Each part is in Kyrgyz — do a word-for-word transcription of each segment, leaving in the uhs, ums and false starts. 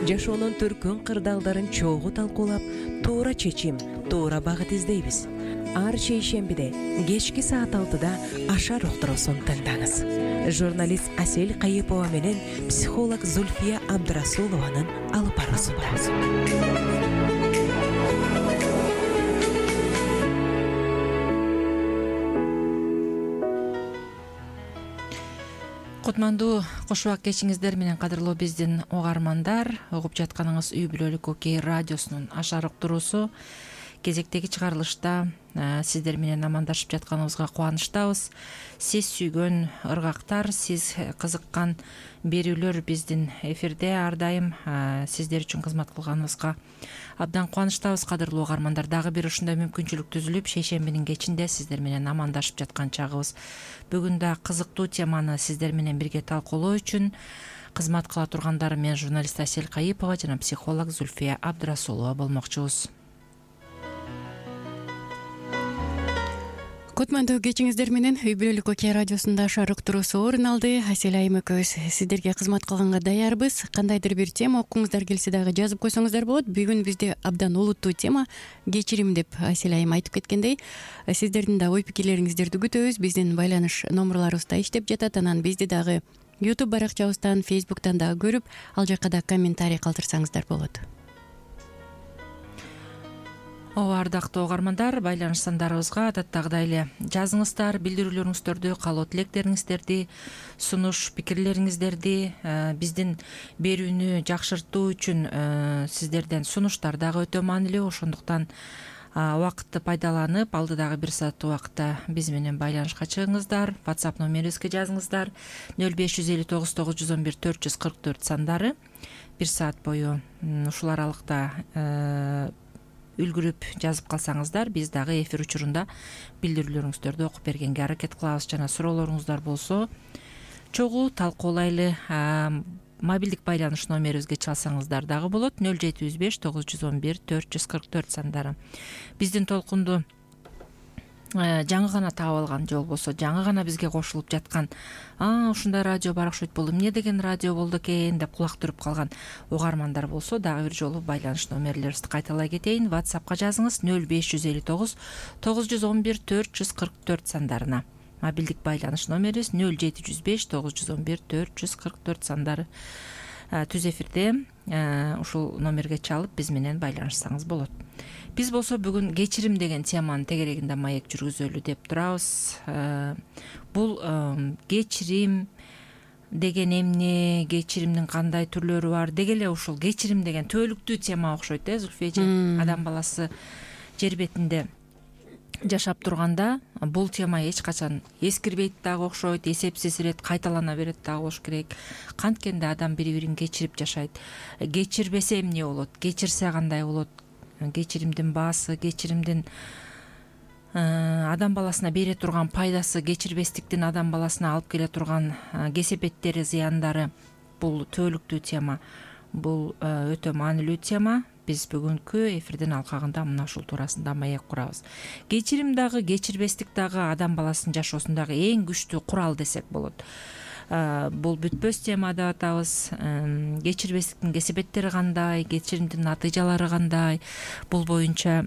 жашоонун төркүн кырдаалдарын чогуу талкуулап, туура чечим, туура багыт издейбиз. Ар шейшембиде кечки саат алтыда Ашар уктуруусун тыңдаңыз. Журналист Асель Кайыпова менен психолог Зульфия Абдрасулованын алып баруусу. Кутмандуу кош убак кечиңиздер менен кадырлуу биздин угармандар. Угуп жатканыңыз Үй бүлөлүк Окей радиосунун Ашар уктуруусу. Кезектеги чыгарылышта сиздер менен амандашып жатканыбызга кубанычтабыз. Сиз сүйгөн ыргактар, сиз кызыккан берүүлөр биздин эфирде ар дайым сиздер үчүн кызмат кылганыбызга абдан кубанычтабыз. Кадырлуу угармандар, дагы бир ушундай мүмкүнчүлүк түзүлүп, шейшембинин кечинде сиздер менен амандашып жаткан чагыбыз. Бүгүн да кызыктуу теманы сиздер менен бирге талкуулоо үчүн кызмат кыла тургандар мен журналист Асель Кайыпова жана психолог Зульфия Абдрасулова болмокчубуз. Кутмандуу кечиңиздер менен Үй бүлөлүк Окей радиосунда Ашар уктуруусу орун алды. Асель айым экөөбүз сиздерге кызмат кылганга даярбыз. Кандайдыр бир тема окуңуздар келсе дагы жазып койсоңуздар болот. Бүгүн бизде абдан олуттуу тема кечирим деп Асель айым айтып кеткендей, сиздердин да ой пикирлериңиздерди күтөбүз. Биздин байланыш номерларыбыз да иштеп жатат. Анан бизди дагы YouTube баракчабыздан, Facebook'тан дагы көрүп, ал жакка да комментарий калтырсаңыздар болот. Ооба, ардактуу угармандар, байланыш сандарыбызга адаттагыдай эле жазыңыздар, билдирүүлөрүңүздөрдү, каалоо тилектериңиздерди, сунуш пикирлериңиздерди, биздин берүүнү жакшыртуу үчүн сиздерден сунуштар дагы өтө маанилүү. Ошондуктан убакытты пайдаланып, алдыдагы бир саат убакытта биз менен байланышка чыгыңыздар. WhatsApp номерибизге жазыңыздар. нөл беш жүз элүү тогуз тогуз жүз он бир төрт жүз кырк төрт сандары. Бир саат бою ушул аралыкта үлгүрүп жазып калсаңыздар, биз дагы эфир учурунда билдирүүлөрүңүздөрдү окуп бергенге аракет кылабыз. Жана суроолоруңуздар болсо чогуу талкуулайлы. Мобилдик байланыш номерибизге чалсаңыздар дагы болот. нөл жети жүз беш тогуз жүз он бир төрт жүз кырк төрт сандары. Биздин толкунду жаңы гана таап алган же болбосо жаңы гана бизге кошулуп жаткан, а ушундай радио бар окшойт, бул эмне деген радио болду экен деп кулак түрүп калган угармандар болсо дагы бир жолу байланыш номерлерибизди кайталай кетейин. WhatsAppка жазыңыз нөл беш жүз элүү тогуз тогуз жүз он бир төрт жүз кырк төрт сандарына. Мобилдик байланыш номерибиз нөл жети жүз беш тогуз жүз он бир төрт жүз кырк төрт сандары. Түз эфирде ушул номерге чалып биз менен байланышсаңыз болот. Биз болсо бүгүн кечирим деген теманын тегерегинде маек жүргүзөлү деп турабыз. Бул кечирим деген эмне, кечиримдин кандай түрлөрү бар, деги эле ушул кечирим деген түбөлүктүү тема окшойт, э, Зульфия эже. Адам баласы жер бетинде жашап турганда бул тема эч качан эскирбейт дагы окшойт, эсепсиз ирет, кайталана берет дагы болуш керек. Канткенде адам бири-бирин кечирип жашайт. Кечирбесе эмне болот, кечирсе кандай болот? Кечиримдин баасы, кечиримдин адам баласына бере турган пайдасы, кечирбестиктин адам баласына алып келе турган кесепеттери, зыяндары, бул түбөлүктүү тема. Бул өтө маанилүү тема. Биз бүгүнкү эфирдин алкагында мына ушул туурасында маек курабыз. Кечирим дагы, кечирбестик дагы адам баласынын жашоосундагы эң күчтүү курал десек болот. Бул бүтпөс тема деп атабыз. Кечирбестиктин кесепеттери кандай, кечиримдин натыйжалары кандай, бул боюнча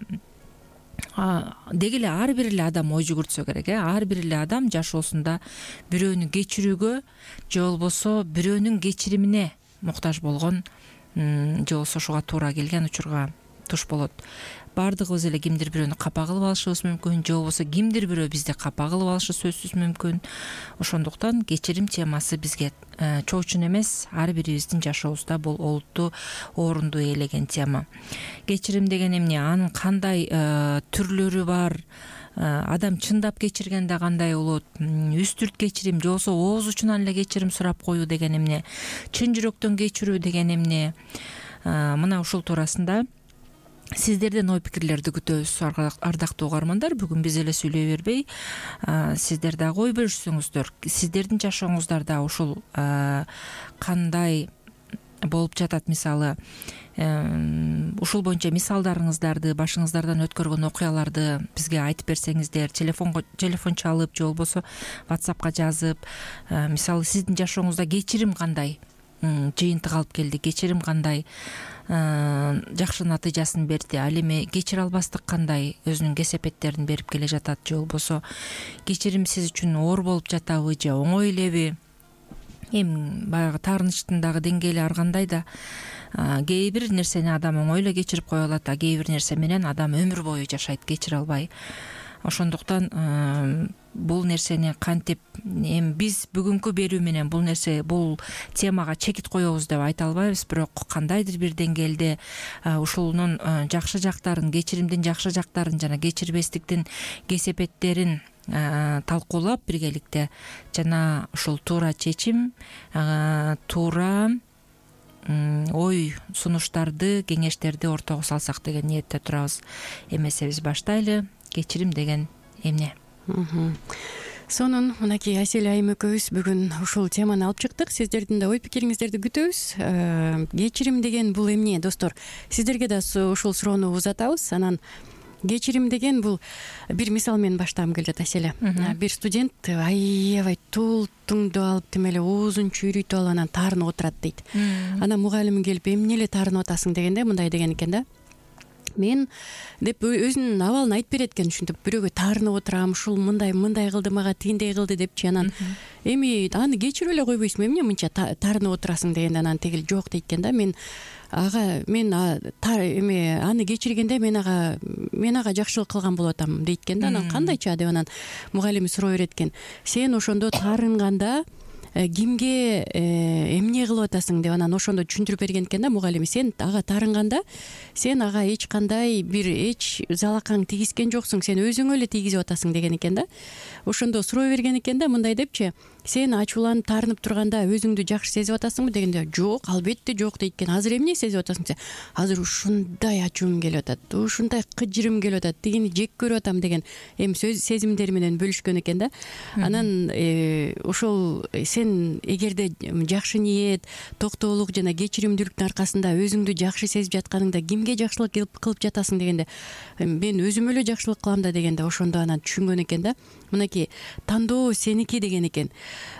деги эле ар бир эле адам ой жүгүртсө керек, э. Ар бир эле адам жашоосунда бирөөнү кечирүүгө же болбосо бирөөнүн кечиримине муктаж болгон же болбосо ошого туура келген учурга туш болот. Бардыгыбыз эле кимдир бирөөнү капа кылып алышыбыз мүмкүн, же болбосо кимдир бирөө бизди капа кылып алышы сөзсүз мүмкүн. Ошондуктан кечирим темасы бизге чоочун эмес, ар бирибиздин жашообузда бул олуттуу орунду ээлеген тема. Кечирим деген эмне, анын кандай түрлөрү бар, адам чындап кечиргенде кандай болот, үстүрт кечирим же болбосо ооз учунан эле кечирим сурап коюу деген эмне, чын жүрөктөн кечирүү деген эмне, мына ушул туурасында сиздерден ой пикирлерди күтөбүз, ардактуу угармандар. Бүгүн биз эле сүйлөй бербей, сиздер дагы ой бөлүшсөңүздөр, сиздердин жашооңуздарда ушул кандай болуп жатат, мисалы ушул боюнча мисалдарыңыздарды, башыңыздардан өткөргөн окуяларды бизге айтып берсеңиздер, телефонго телефон чалып же болбосо WhatsAppка жазып, мисалы сиздин жашооңузда кечирим кандай жыйынтык алып келди, кечирим кандай жакшы натыйжасын берди, ал эми кечире албастык кандай өзүнүн кесепеттерин берип келе жатат, же болбосо кечирим сиз үчүн оор болуп жатабы же оңой элеби, эми баягы таарынычтын дагы деңгээли ар кандай да. Кээ бир нерсени адам оңой эле кечирип кое алат, а кээ бир нерсе менен адам өмүр бою жашайт кечире албай. Ошондуктан бул нерсени кантип эми биз бүгүнкү берүү менен бул нерсе бул темага чекит коебуз деп айта албайбыз, бирок кандайдыр бир деңгээлде ушунун жакшы жактарын, кечиримдин жакшы жактарын жана кечирбестиктин кесепеттерин талкуулап биргеликте жана ушул туура чечим, туура ой сунуштарды, кеңештерди ортого салсак деген ниетте турабыз. Эмесебиз баштайлы. Кечирим деген эмне? Сонун мынакей Асель айым экөөбүз бүгүн ушул теманы алып чыктык. Сиздердин да ой пикириңиздерди күтөбүз. Кечирим деген бул эмне, достор? Сиздерге да ушул суроону узатабыз. Анан кечирим деген бул бир мисал менен баштагым келет. Асель, бир студент аябай тултуңду алып тим эле оозун чүйрүйтүп алып анан таарынып отурат дейт. Анан мугалим келип эмне эле таарынып атасың дегенде мындай деген экен да: мен деп өзүнүн абалын айтып берет экен, ушинтип бирөөгө таарынып отурам, ушул мындай мындай кылды, мага тигиндей кылды депчи. Анан эми аны кечирип эле койбойсуңбу, эмне мынча таарынып отурасың дегенде анан тигил жок дейт экен да: мен ага мен эми аны кечиргенде мен ага мен ага жакшылык кылган болуп атам дейт экен да. Анан кандайча деп анан мугалими суроо берет экен: сен ошондо таарынганда кимге эмне кылып атасың деп анан ошондо түшүндүрүп берген экен да мугалими: сен ага таарынганда сен ага эч кандай бир эч залакаң тийгизген жоксуң, сен өзүңө эле тийгизип атасың деген экен да. Ошондо суроо берген экен да, мындай депчи: сен ачууланып таарынып турганда өзүңдү жакшы сезип атасыңбы дегенде жок, албетте жок дейт экен. Азыр эмне сезип атасың десе: азыр ушундай ачуум келип атат, ушундай кыжырым келип атат, тигини жек көрүп атам деген эми сөз сезимдери менен бөлүшкөн экен да. Анан ошол сен эгерде жакшы ниет, токтоолук жана кечиримдүүлүктүн аркасында өзүңдү жакшы сезип жатканыңда кимге жакшылык кылып жатасың дегенде мен өзүмө эле жакшылык кылам да дегенде ошондо анан түшүнгөн экен да. Мынакей тандоо сеники деген экен.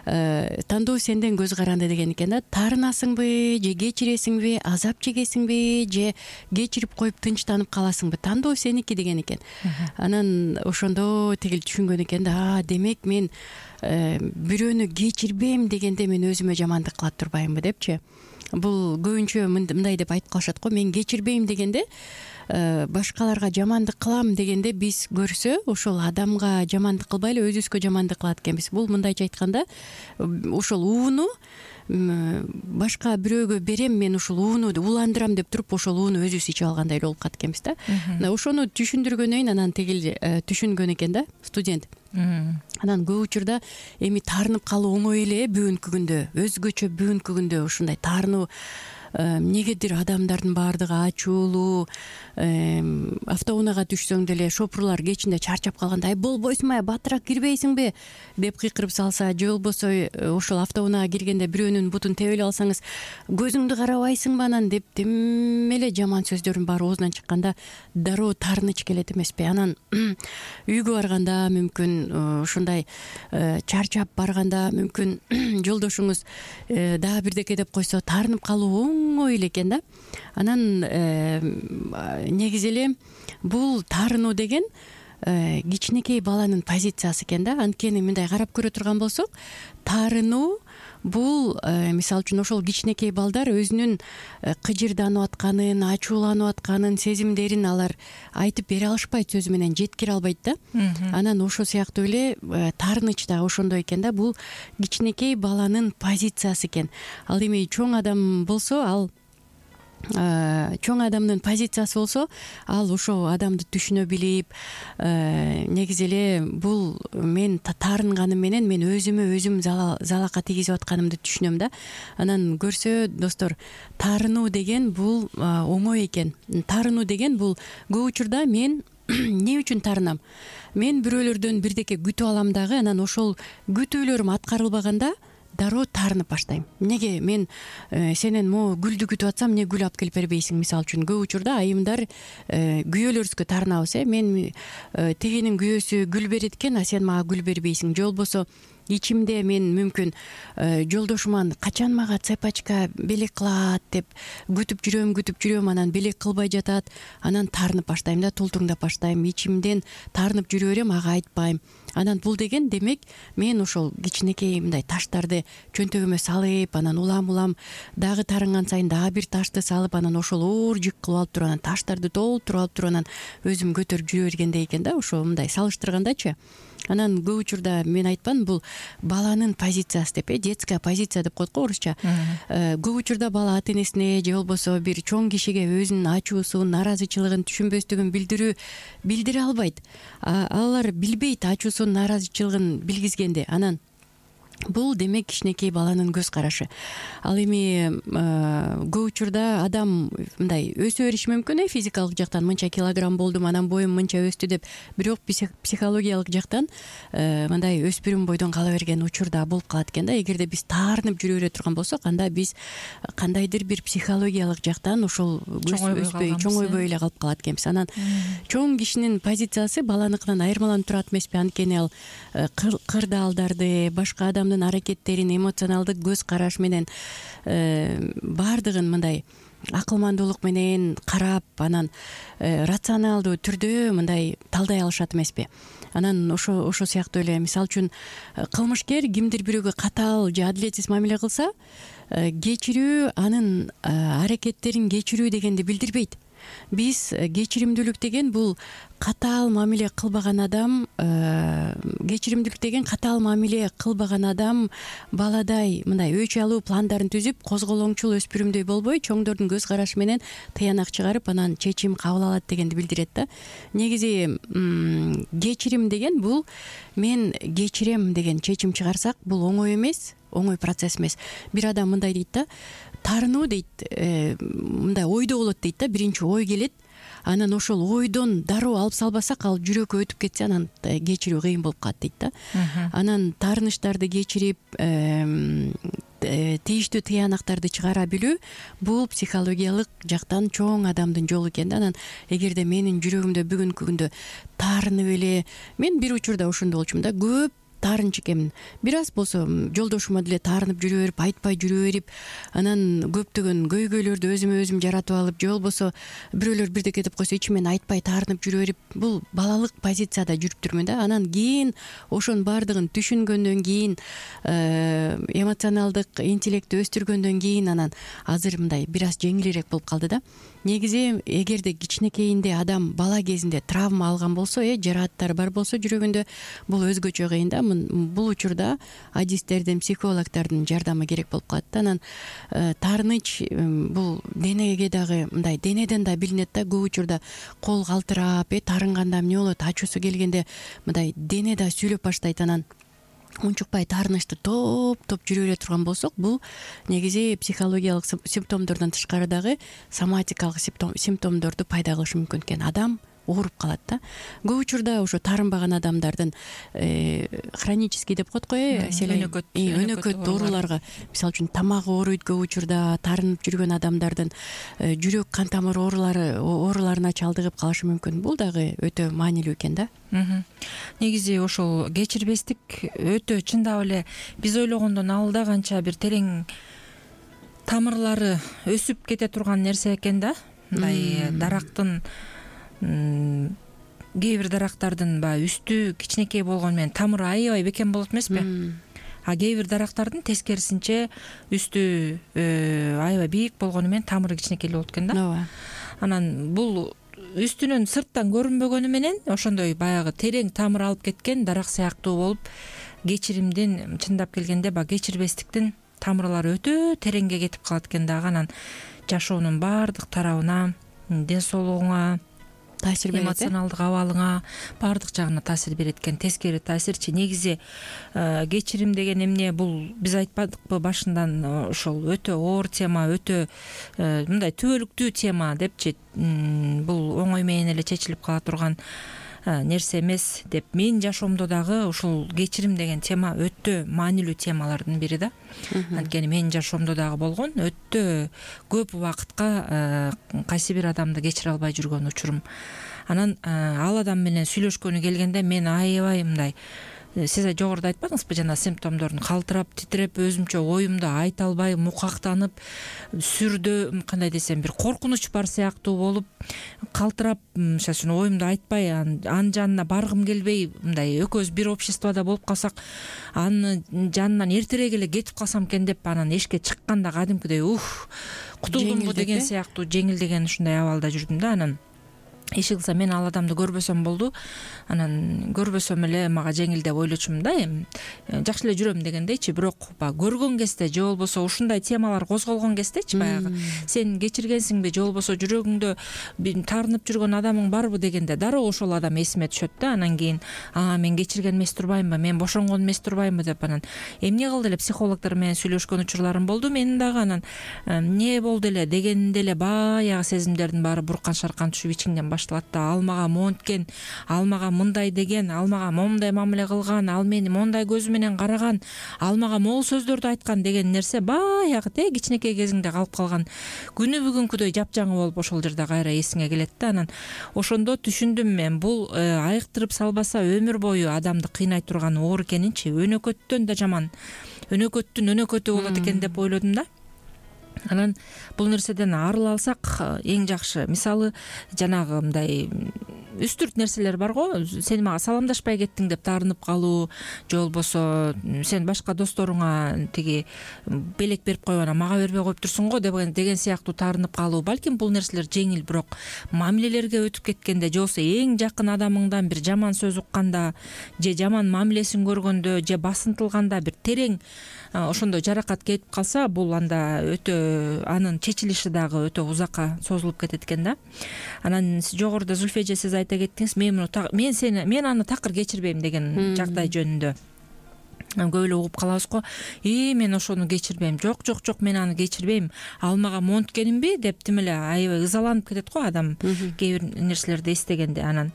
Тандоо сенден көз каранды деген экен да. Таарынасыңбы же кечиресиңби, азап чегесиңби же кечирип коюп тынчтанып каласыңбы, тандоо сеники деген экен. Анан ошондо тигил түшүнгөн экен да: демек мен бирөөнү кечирбейм дегенде мен өзүмө жамандык кылат турбаймынбы депчи. Бул көбүнчө мындай деп айтып калышат го: мен кечирбейм дегенде башкаларга жамандык кылам дегенде биз көрсө ошол адамга жамандык кылбай эле өзүбүзгө жамандык кылат экенбиз. Бул мындайча айтканда ошол ууну башка бирөөгө берем, мен ушул ууну ууландырам деп туруп ошол ууну өзүбүз ичип алгандай эле болуп калат экенбиз да. Ошону түшүндүргөндөн анан тигил түшүнгөн экен да студент. Анан көп учурда эми таарынып калуу оңой эле бүгүнкү күндө, өзгөчө бүгүнкү күндө ушундай таарынуу эмнегедир адамдардын баардыгы ачуулуу, автоунаага түшсөң деле шопурлар кечинде чарчап калганда: ай болбойсуңбу, батыраак кирбейсиңби деп кыйкырып салса, же болбосо ошол автоунаага киргенде бирөөнүн бутун тебе эле алсаңыз: көзүңдү карабайсыңбы анан деп тим эле жаман сөздөрдүн баары оозунан чыкканда дароо таарыныч келет эмеспи? Анан үйгө барганда мүмкүн ушундай чарчап барганда мүмкүн жолдошуңуз дагы бирдеке деп койсо таарынып калуу оңой эле экен да. Анан негизи эле бул таарынуу деген кичинекей баланын позициясы экен да. Анткени мындай карап көрө турган болсок, таарынуу бул мисалы үчүн ошол кичинекей балдар өзүнүн кыжырданып атканын, ачууланып атканын, сезимдерин алар айтып бере алышпайт, сөзү менен жеткире албайт да. Анан ошол сыяктуу эле таарыныч да ошондой экен да. Бул кичинекей баланын позициясы экен. Ал эми чоң адам болсо, ал чоң адамдын позициясы болсо, ал ошол адамды түшүнө билип, негизи эле бул мен таарынганым менен мен өзүмө өзүм залака тийгизип атканымды түшүнөм да. Анан көрсө достор, таарынуу деген бул оңой экен. Таарынуу деген бул көп учурда мен эмне үчүн таарынам? Мен бирөөлөрдөн бирдеке күтүп алам дагы, анан ошол күтүүлөрүм аткарылбаганда дароо таарынып баштайм. Эмнеге мен сенен могу гүлдү күтүп атсам, эмне гүл алып келип бербейсиң? Мисалы үчүн көп учурда айымдар күйөөлөрүбүзгө таарынабыз. Э мен тигинин күйөөсү гүл берет экен, а сен мага гүл бербейсиң. Же болбосо ичимде мен мүмкүн жолдошуман качан мага цепочка белек кылат деп күтүп жүрөм күтүп жүрөм анан белек кылбай жатат, анан таарынып баштайм да, тултуңдап баштайм, ичимден таарынып жүрө берем, ага айтпайм. Анан бул деген демек мен ошол кичинекей мындай таштарды чөнтөгүмө салып, анан улам улам дагы таарынган сайын дагы бир ташты салып, анан ошол оор жүк кылып алып туруп, анан таштарды толтуруп алып туруп, анан өзүм көтөрүп жүрө бергендей экен да, ошо мындай салыштыргандачы. Анан көп учурда мен айтпам, бул баланын позициясы деп, э детская позиция деп коет го орусча. Көп учурда бала ата энесине же болбосо бир чоң кишиге өзүнүн ачуусун, наразычылыгын, түшүнбөстүгүн билдирүү билдире албайт. Алар билбейт ачуусун, наразычылыгын билгизгенди. Анан бул демек кичинекей баланын көз карашы. Ал эми көп учурда адам мындай өсө бериши мүмкүн, э физикалык жактан мынча килограмм болдум, анан боюм мынча өстү деп, бирок психологиялык жактан мындай өспүрүм бойдон кала берген учурда болуп калат экен да. Эгерде биз таарынып жүрө бере турган болсок, анда биз кандайдыр бир психологиялык жактан ошол өспөй, чоңойбой эле калып калат экенбиз. Анан чоң кишинин позициясы баланыкынан айырмаланып турат эмеспи? Анткени ал кырдаалдарды, башка адам аракеттерин, эмоционалдык көз караш менен баардыгын мындай акылмандуулук менен карап, анан рационалдуу түрдө мындай талдай алышат эмеспи? Анан ошо ошо сыяктуу эле, мисалы үчүн кылмышкер кимдир бирөөгө катаал же адилетсиз мамиле кылса, кечирүү анын аракеттерин кечирүү дегенди билдирбейт. Биз кечиримдүүлүк деген бул катаал мамиле кылбаган адам, кечиримдүүлүк деген катаал мамиле кылбаган адам баладай мындай өч алуу пландарын түзүп, козголоңчул өспүрүмдөй болбой, чоңдордун көз карашы менен тыянак чыгарып, анан чечим кабыл алат дегенди билдирет да. Негизи кечирим деген бул мен кечирем деген чечим чыгарсак, бул оңой эмес, оңой процесс эмес. Бир адам мындай дейт да, таарынуу дейт, мындай ойдо болот дейт да, биринчи ой келет, анан ошол ойдон дароо алып салбасак, ал жүрөккө өтүп кетсе, анан кечирүү кыйын болуп калат дейт да. Анан таарынычтарды кечирип, тийиштүү тыянактарды чыгара билүү, бул психологиялык жактан чоң адамдын жолу экен да. Анан эгерде менин жүрөгүмдө бүгүнкү күндө таарынып эле, мен бир учурда ошондой болчумун да, көп таарынчу экенмин. Бир аз болсо жолдошума деле таарынып жүрө берип, айтпай жүрө берип, анан көптөгөн көйгөйлөрдү өзүмө өзүм жаратып алып, же болбосо бирөөлөр бирдеке деп койсо ичимен айтпай таарынып жүрө берип, бул балалык позицияда жүрүп жүрмүн да. Анан кийин ошонун баардыгын түшүнгөндөн кийин, эмоционалдык интеллектти өстүргөндөн кийин, анан азыр мындай бир аз жеңилирээк болуп калды да. Негизи эгерде кичинекейинде адам бала кезинде травма алган болсо, э жарааттар бар болсо жүрөгүндө, бул өзгөчө кыйын да. Бул учурда адистердин, психологдордун жардамы керек болуп калат да. Анан таарыныч бул денеге дагы мындай денеден да билинет да. Көп учурда кол калтырап, э таарынганда эмне болот, ачуусу келгенде мындай дене да сүйлөп баштайт. Анан унчукпай таарынычты топ-топ жүрө бере турган болсок, бул негизи психологиялык симптомдордон тышкары дагы соматикалык симптомдорду пайда кылышы мүмкүн экен. Адам ооруп калат да. Көп учурда ошо таарынбаган адамдардын хронический деп коет го, э өнөкөт ооруларга, мисалы үчүн тамак ооруйт, көп учурда таарынып жүргөн адамдардын жүрөк кан тамыр оорулары ооруларына чалдыгып калышы мүмкүн. Бул дагы өтө маанилүү экен да. Негизи ошол кечирбестик өтө чындап эле биз ойлогондон алда канча бир терең тамырлары өсүп кете турган нерсе экен да. Мындай дарактын, кээ бир дарактардын баягы үстү кичинекей болгону менен тамыры аябай бекем болот эмеспи? А кээ бир дарактардын тескерисинче үстү аябай бийик болгону менен тамыры кичинекей болот экен да. Ооба. Анан бул үстүнөн сырттан көрүнбөгөнү менен ошондой баягы терең тамыр алып кеткен дарак сыяктуу болуп, кечиримдин чындап келгенде баягы кечирбестиктин тамырлары өтө тереңге кетип калат экен дагы. Анан жашоонун баардык тарабына, ден соолугуңа, таасир берет, эмоционалдык абалыңа, баардык жагына таасир берет экен. Тескери таасирчи. Негизи кечирим деген эмне? Бул биз айтпадыкпы башындан, ошол өтө оор тема, өтө мындай түбөлүктүү тема депчи. Бул оңой менен эле чечилип кала турган нерсе эмес деп. Менин жашоомдо дагы ушул кечирим деген тема өтө маанилүү темалардын бири да. Анткени менин жашоомдо дагы болгон өтө көп убакытка кайсы бир адамды кечире албай жүргөн учурум. Анан ал адам менен сүйлөшкөнү келгенде мен аябай мындай сиз жогоруда айтпадыңызбы жана симптомдорун калтырап титиреп өзүмчө оюмду айта албай мукактанып сүрдө кандай десем бир коркунуч бар сыяктуу болуп калтырап мисалы үчүн оюмду айтпай анын жанына баргым келбей мындай экөөбүз бир обществодо болуп калсак анын жанынан эртерээк эле кетип калсам экен деп анан эшикке чыкканда кадимкидей ух кутулдумбу деген сыяктуу жеңилдеген ушундай абалда жүрдүм да. Анан иши кылса мен ал адамды көрбөсөм болду, анан көрбөсөм эле мага жеңил деп ойлочумун да. Эми жакшы эле жүрөм дегендейчи, бирок баягы көргөн кезде же болбосо ушундай темалар козголгон кездечи баягы сен кечиргенсиңби же болбосо жүрөгүңдө таарынып жүргөн адамың барбы дегенде дароо ошол адам эсиме түшөт да. Анан кийин а мен кечирген эмес турбаймынбы, мен бошонгон эмес турбаймынбы деп анан эмне кылды эле психологдор менен сүйлөшкөн учурларым болду менин дагы. Анан эмне болду эле дегенде эле баягы сезимдердин баары буркан шаркан түшүп ичиңден башталат да. Ал мага монткен, ал мага мындай деген, ал мага момундай мамиле кылган, ал мени мондай көзү менен караган, ал мага могул сөздөрдү айткан деген нерсе баягы те кичинекей кезиңде калып калган күнү бүгүнкүдөй жапжаңы болуп ошол жерде кайра эсиңе келет да. Анан ошондо түшүндүм мен бул айыктырып салбаса өмүр бою адамды кыйнай турган оор экенинчи. Өнөкөттөн да жаман, өнөкөттүн өнөкөтү болот экен деп ойлодум да. Анан бул нерседен арыла алсак эң жакшы. Мисалы жанагы мындай үстүрт нерселер бар го, сен мага саламдашпай кеттиң деп таарынып калуу же болбосо сен башка досторуңа тиги белек берип коюп анан мага бербей коюптурсуң го деген деген сыяктуу таарынып калуу. Балким бул нерселер жеңил, бирок мамилелерге өтүп кеткенде же болбосо эң жакын адамыңдан бир жаман сөз укканда же жаман мамилесин көргөндө же басынтылганда бир терең ошондой жаракат кетип калса, бул анда өтө анын чечилиши дагы өтө узакка созулуп кетет экен да. Анан жогоруда Зульфия эже сиз айта кеттиңиз, мен мен сени мен аны такыр кечирбейм деген жагдай жөнүндө көп эле угуп калабыз го. И мен ошону кечирбейм, жок жок жок мен аны кечирбейм, ал мага монткенимби деп тим эле аябай ызаланып кетет го адам кээ бир нерселерди эстегенде. Анан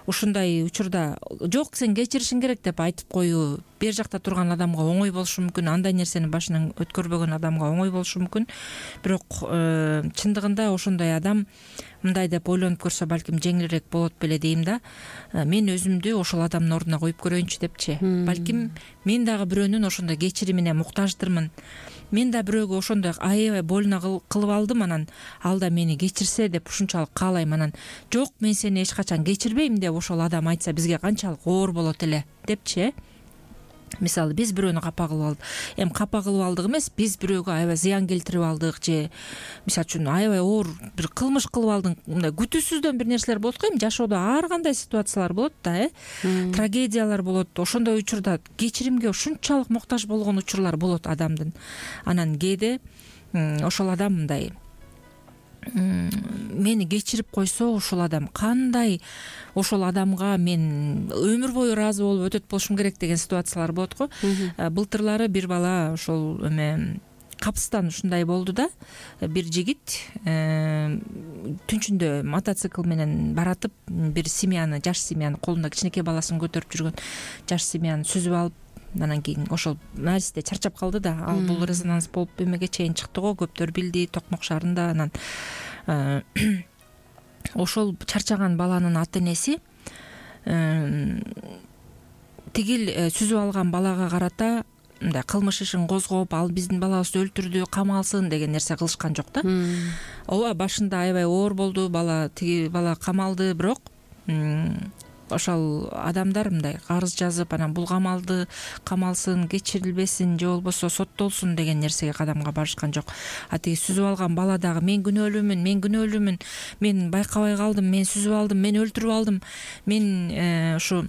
ушундай учурда жок сен кечиришиң керек деп айтып коюу бер жакта турган адамга оңой болушу мүмкүн, андай нерсени башынан өткөрбөгөн адамга оңой болушу мүмкүн, бирок чындыгында ошондой адам мындай деп ойлонуп көрсө балким жеңилирээк болот беле дейм да. Мен өзүмдү ошол адамдын ордуна коюп көрөйүнчү депчи. Балким мен дагы бирөөнүн ошондой кечиримине муктаждырмын. Мен да бирөөгө ошондой аябай больно кылып алдым, анан ал да мени кечирсе деп ушунчалык каалайм. Анан жок мен сени эч качан кечирбейм деп ошол адам айтса бизге канчалык оор болот эле депчи. Мисалы биз бирөөнү капа кылып алдык. Эми капа кылып алдык эмес, биз бирөөгө аябай зыян келтирип алдык же мисалы үчүн аябай оор бир кылмыш кылып алдык. Мындай күтүүсүздөн бир нерселер болот го. Эми жашоодо ар кандай ситуациялар болот да, э? Трагедиялар болот. Ошондой учурда кечиримге ушунчалык муктаж болгон учурлар болот адамдын. Анан кээде ошол адам мындай мени кечирип койсо ошол адам кандай ошол адамга мен өмүр бою ыраазы болуп өтөт болушум керек деген ситуациялар болот го. Былтырлары бир бала ошол эме Капыстан ушундай болду да. Бир жигит түнчүндө мотоцикл менен баратып бир семьяны, жаш семьяны, колунда кичинекей баласын көтөрүп жүргөн жаш семьяны сүзүп алып, анан кийин ошол Маристе чарчап калды да. Ал бул резонанс болуп эмеге чейин чыкты го, көптөр билди Токмок шаарында. Анан ошол чарчаган баланын ата энеси тигил сүзүп алган балага карата мындай кылмыш ишин козгоп, ал биздин балабызды өлтүрдү, камалсын деген нерсе кылышкан жок да. Ооба башында аябай оор болду, бала тиги бала камалды, бирок ошол адамдар мындай арыз жазып, анан бул камалды, камалсын, кечирилбесин же болбосо соттолсун деген нерсеге кадамга барышкан жок. А тиги сүзүп алган бала дагы мен күнөөлүүмүн, мен күнөөлүүмүн, мен байкабай калдым, мен сүзүп алдым, мен өлтүрүп алдым, мен ушу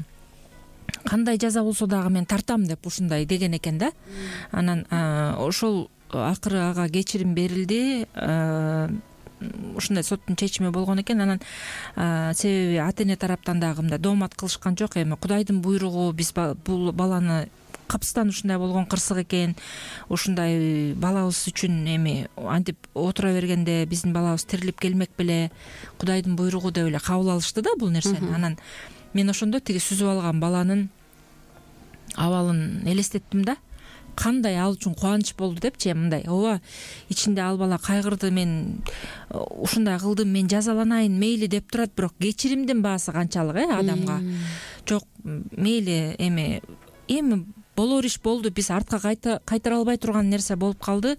кандай жаза болсо дагы мен тартам деп ушундай деген экен да. Анан ошол акыры ага кечирим берилди. Ушундай соттун чечими болгон экен. Анан себеби ата эне тараптан дагы мындай доомат кылышкан жок. Эми Кудайдын буйругу, биз бул баланы Капыстан ушундай болгон кырсык экен, ушундай балабыз үчүн эми антип отура бергенде биздин балабыз тирилип келмек беле, Кудайдын буйругу деп эле кабыл алышты да бул нерсени. Анан мен ошондо тиги сүзүп алган баланын абалын элестеттим да. Кандай ал үчүн кубаныч болду депчи. Мындай ооба ичинде ал бала кайгырды, мен ушундай кылдым, мен жазаланайын мейли деп турат, бирок кечиримдин баасы канчалык э адамга. Жок мейли эми эми болор иш болду, биз артка кайтара албай турган нерсе болуп калды,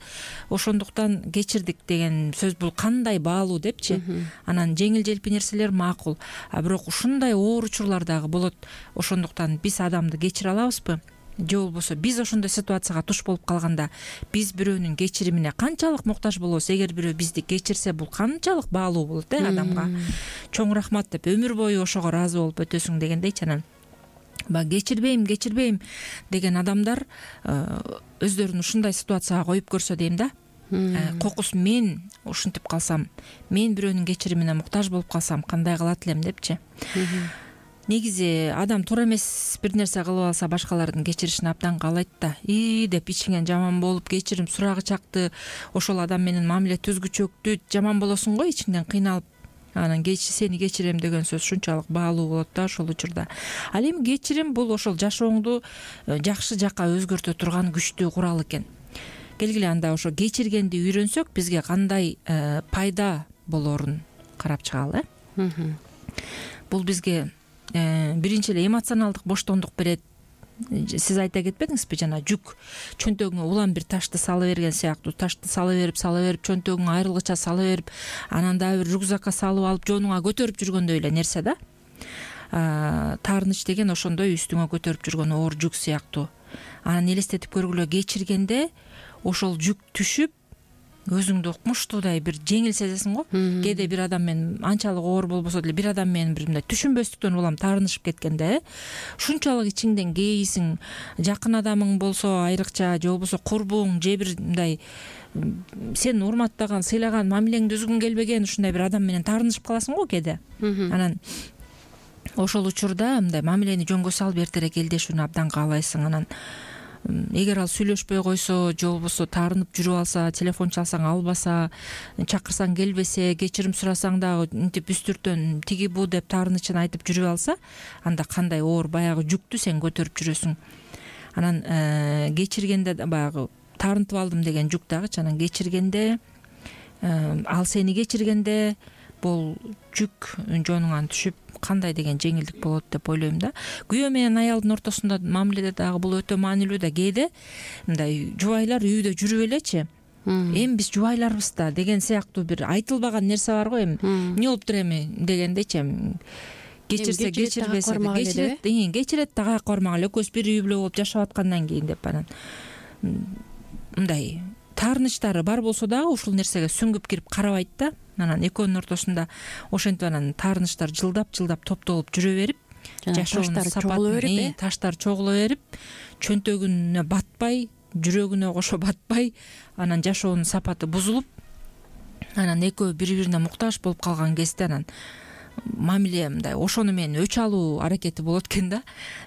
ошондуктан кечирдик деген сөз бул кандай баалуу депчи. Анан жеңил желпи нерселер макул, а бирок ушундай оор учурлар дагы болот. Ошондуктан биз адамды кечире алабызбы же болбосо биз ошондой ситуацияга туш болуп калганда биз бирөөнүн кечиримине канчалык муктаж болобуз? Эгер бирөө бизди кечирсе, бул канчалык баалуу болот э адамга. Чоң рахмат деп өмүр бою ошого ыраазы болуп өтөсүң дегендейчи. Анан баягы кечирбейм, кечирбейм деген адамдар өздөрүн ушундай ситуацияга коюп көрсө дейм да. Кокус мен ушинтип калсам, мен бирөөнүн кечиримине муктаж болуп калсам кандай кылат элем депчи. Негизи адам туура эмес бир нерсе кылып алса башкалардын кечиришин абдан каалайт да. И деп ичиңен жаман болуп кечирим сурагы чакты, ошол адам менен мамиле түзгүчөктү, жаман болосуң го ичиңден кыйналып. Анан сени кечирем деген сөз ушунчалык баалуу болот да ошол учурда. Ал эми кечирим бул ошол жашооңду жакшы жакка өзгөртө турган күчтүү курал экен. Келгиле анда ошо кечиргенди үйрөнсөк бизге кандай пайда болорун карап чыгалы э. Бул бизге биринчи эле эмоционалдык боштондук берет. Сиз айта кетпедиңизби, жана жүк чөнтөгүңө улам бир ташты сала берген сыяктуу, ташты сала берип сала берип чөнтөгүңө айрылгыча сала берип, анан дагы бир рюкзакка салып алып жонуңа көтөрүп жүргөндөй эле нерсе да. Таарыныч деген ошондой үстүңө көтөрүп жүргөн оор жүк сыяктуу. Анан элестетип көргүлө, кечиргенде ошол жүк түшүп өзүңдү укмуштуудай бир жеңил сезесиң го. Кээде бир адам менен анчалык оор болбосо деле бир адам менен бир мындай түшүнбөстүктөн улам таарынышып кеткенде ушунчалык ичиңден кейисиң. Жакын адамың болсо айрыкча же болбосо курбуң же бир мындай сени урматтаган, сыйлаган, мамилеңди үзгүң келбеген ушундай бир адам менен таарынышып каласың го кээде. Анан ошол учурда мындай мамилени жөнгө салып эртерээк элдешүүнү абдан каалайсың. Анан эгер ал сүйлөшпөй койсо же болбосо таарынып жүрүп алса, телефон чалсаң албаса, чакырсаң келбесе, кечирим сурасаң дагы мынтип үстүртөн тиги бу деп таарынычын айтып жүрүп алса, анда кандай оор баягы жүктү сен көтөрүп жүрөсүң. Анан кечиргенде баягы таарынтып алдым деген жүк дагычы, анан кечиргенде ал сени кечиргенде бул жүк жонуңан түшүп кандай деген жеңилдик болот деп ойлойм да. Күйөө менен аялдын ортосунда мамиледе дагы бул өтө маанилүү да. Кээде мындай жубайлар үйдө жүрүп элечи, эми биз жубайларбыз да деген сыяктуу бир айтылбаган нерсе бар го. Эми эмне болуптур эми дегендейчи, кечирсе кечирбесе кечирет, кечирет да каяка бармак эле, экөөбүз бир үй бүлө болуп жашап аткандан кийин деп анан мындай таарынычтары бар болсо дагы ушул нерсеге сүңгүп кирип карабайт да. Анан экөөнүн ортосунда ошентип анан таарынычтар жылдап-жылдап топтолуп жүрө берип, жашоонун сапатын, таштар чогуло берип, чөнтөгүнө батпай, жүрөгүнө кошо батпай, анан жашоонун сапаты бузулуп, анан экөө бири-бирине муктаж болуп калган кезде анан мамиле мындай ошону менен өч алуу аракети болот экен да.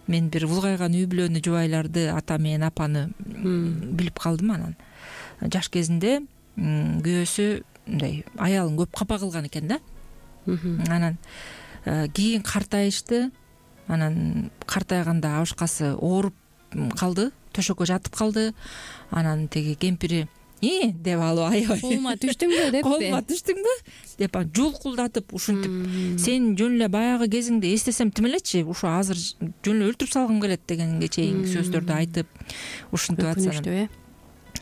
Мен бир улгайган үй бүлөнү, жубайларды, ата менен апаны билип калдым. Анан жаш кезинде күйөөсү мындай аялын көп капа кылган экен да. Анан кийин картайышты. Анан картайганда абышкасы ооруп калды, төшөккө жатып калды. Анан теги кемпири «И» деп алып аябай колума түштүңбү депти. Колума түштүңбү деп жулкулдатып ушинтип, сен жөн эле баягы кезиңди эстесем тим элечи, ушу азыр жөн эле өлтүрүп салгым келет дегенге чейинки сөздөрдү айтып ушинтип атсам.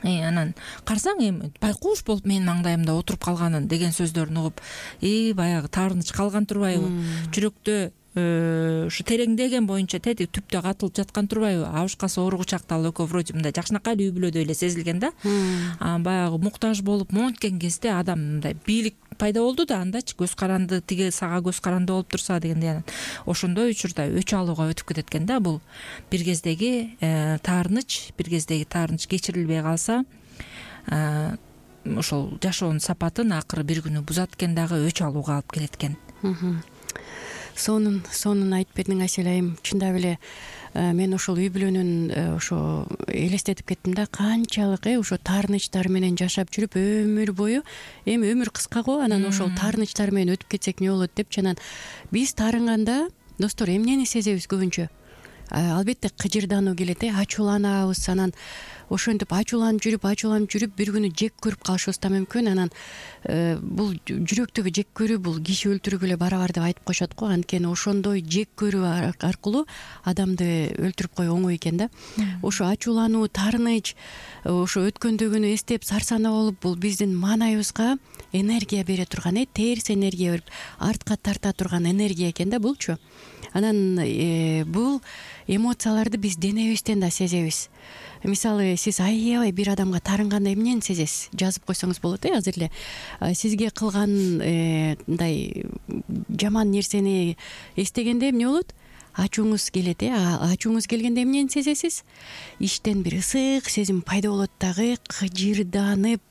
Анан карасаң эми байкуш болуп менин маңдайымда отуруп калганын деген сөздөрүн угуп, и баягы таарыныч калган турбайбы, жүрөктө ушу тереңдеген боюнча тети түптө катылып жаткан турбайбы. Абышкасы ооругу чакта ал экөө вроде мындай жакшынакай үй бүлөдөй эле сезилген да. Анан баягы муктаж болуп монткен кезде адам мындай бийлик пайда болду да, андачы көз каранды, тиги сага көз каранды болуп турса дегендей. Анан ошондой учурда өч алууга өтүп кетет экен да. Бул бир кездеги таарыныч, бир кездеги таарыныч кечирилбей калса, ошол жашоонун сапатын акыры бир күнү бузат экен дагы, өч алууга алып келет экен. Сонун сонун айтып бердиң Асель айым. Чындап эле мен ошол үй бүлөнүн ошо элестетип кеттим да, канчалык э ошо таарынычтар менен жашап жүрүп өмүр бою, эми өмүр кыска го, анан ошол таарынычтар менен өтүп кетсек эмне болот депчи. Анан биз таарынганда достор эмнени сезебиз көбүнчө? Албетте кыжырдануу келет э, ачууланабыз, анан ошентип ачууланып жүрүп ачууланып жүрүп бир күнү жек көрүп калышыбыз да мүмкүн. Анан бул жүрөктөгү жек көрүү бул киши өлтүрүүгө эле барабар деп айтып коюшат го. Анткени ошондой жек көрүү аркылуу адамды өлтүрүп коюу оңой экен да. Ошо ачуулануу, таарыныч, ошо өткөндөгүнү эстеп сарсанаа болуп, бул биздин маанайыбызга энергия бере турган, э терс энергия берип, артка тарта турган энергия экен да булчу. Анан бул эмоцияларды биз денебизден да сезебиз. Мисалы, сиз аябай бир адамга таарынганда эмнени сезесиз? Жазып койсоңуз болот, э азыр эле. Сизге кылган мындай жаман нерсени эстегенде эмне болот? Ачууңуз келет, э ачууңуз келгенде эмнени сезесиз? Иштен бир ысык сезим пайда болот дагы, кыжырданып,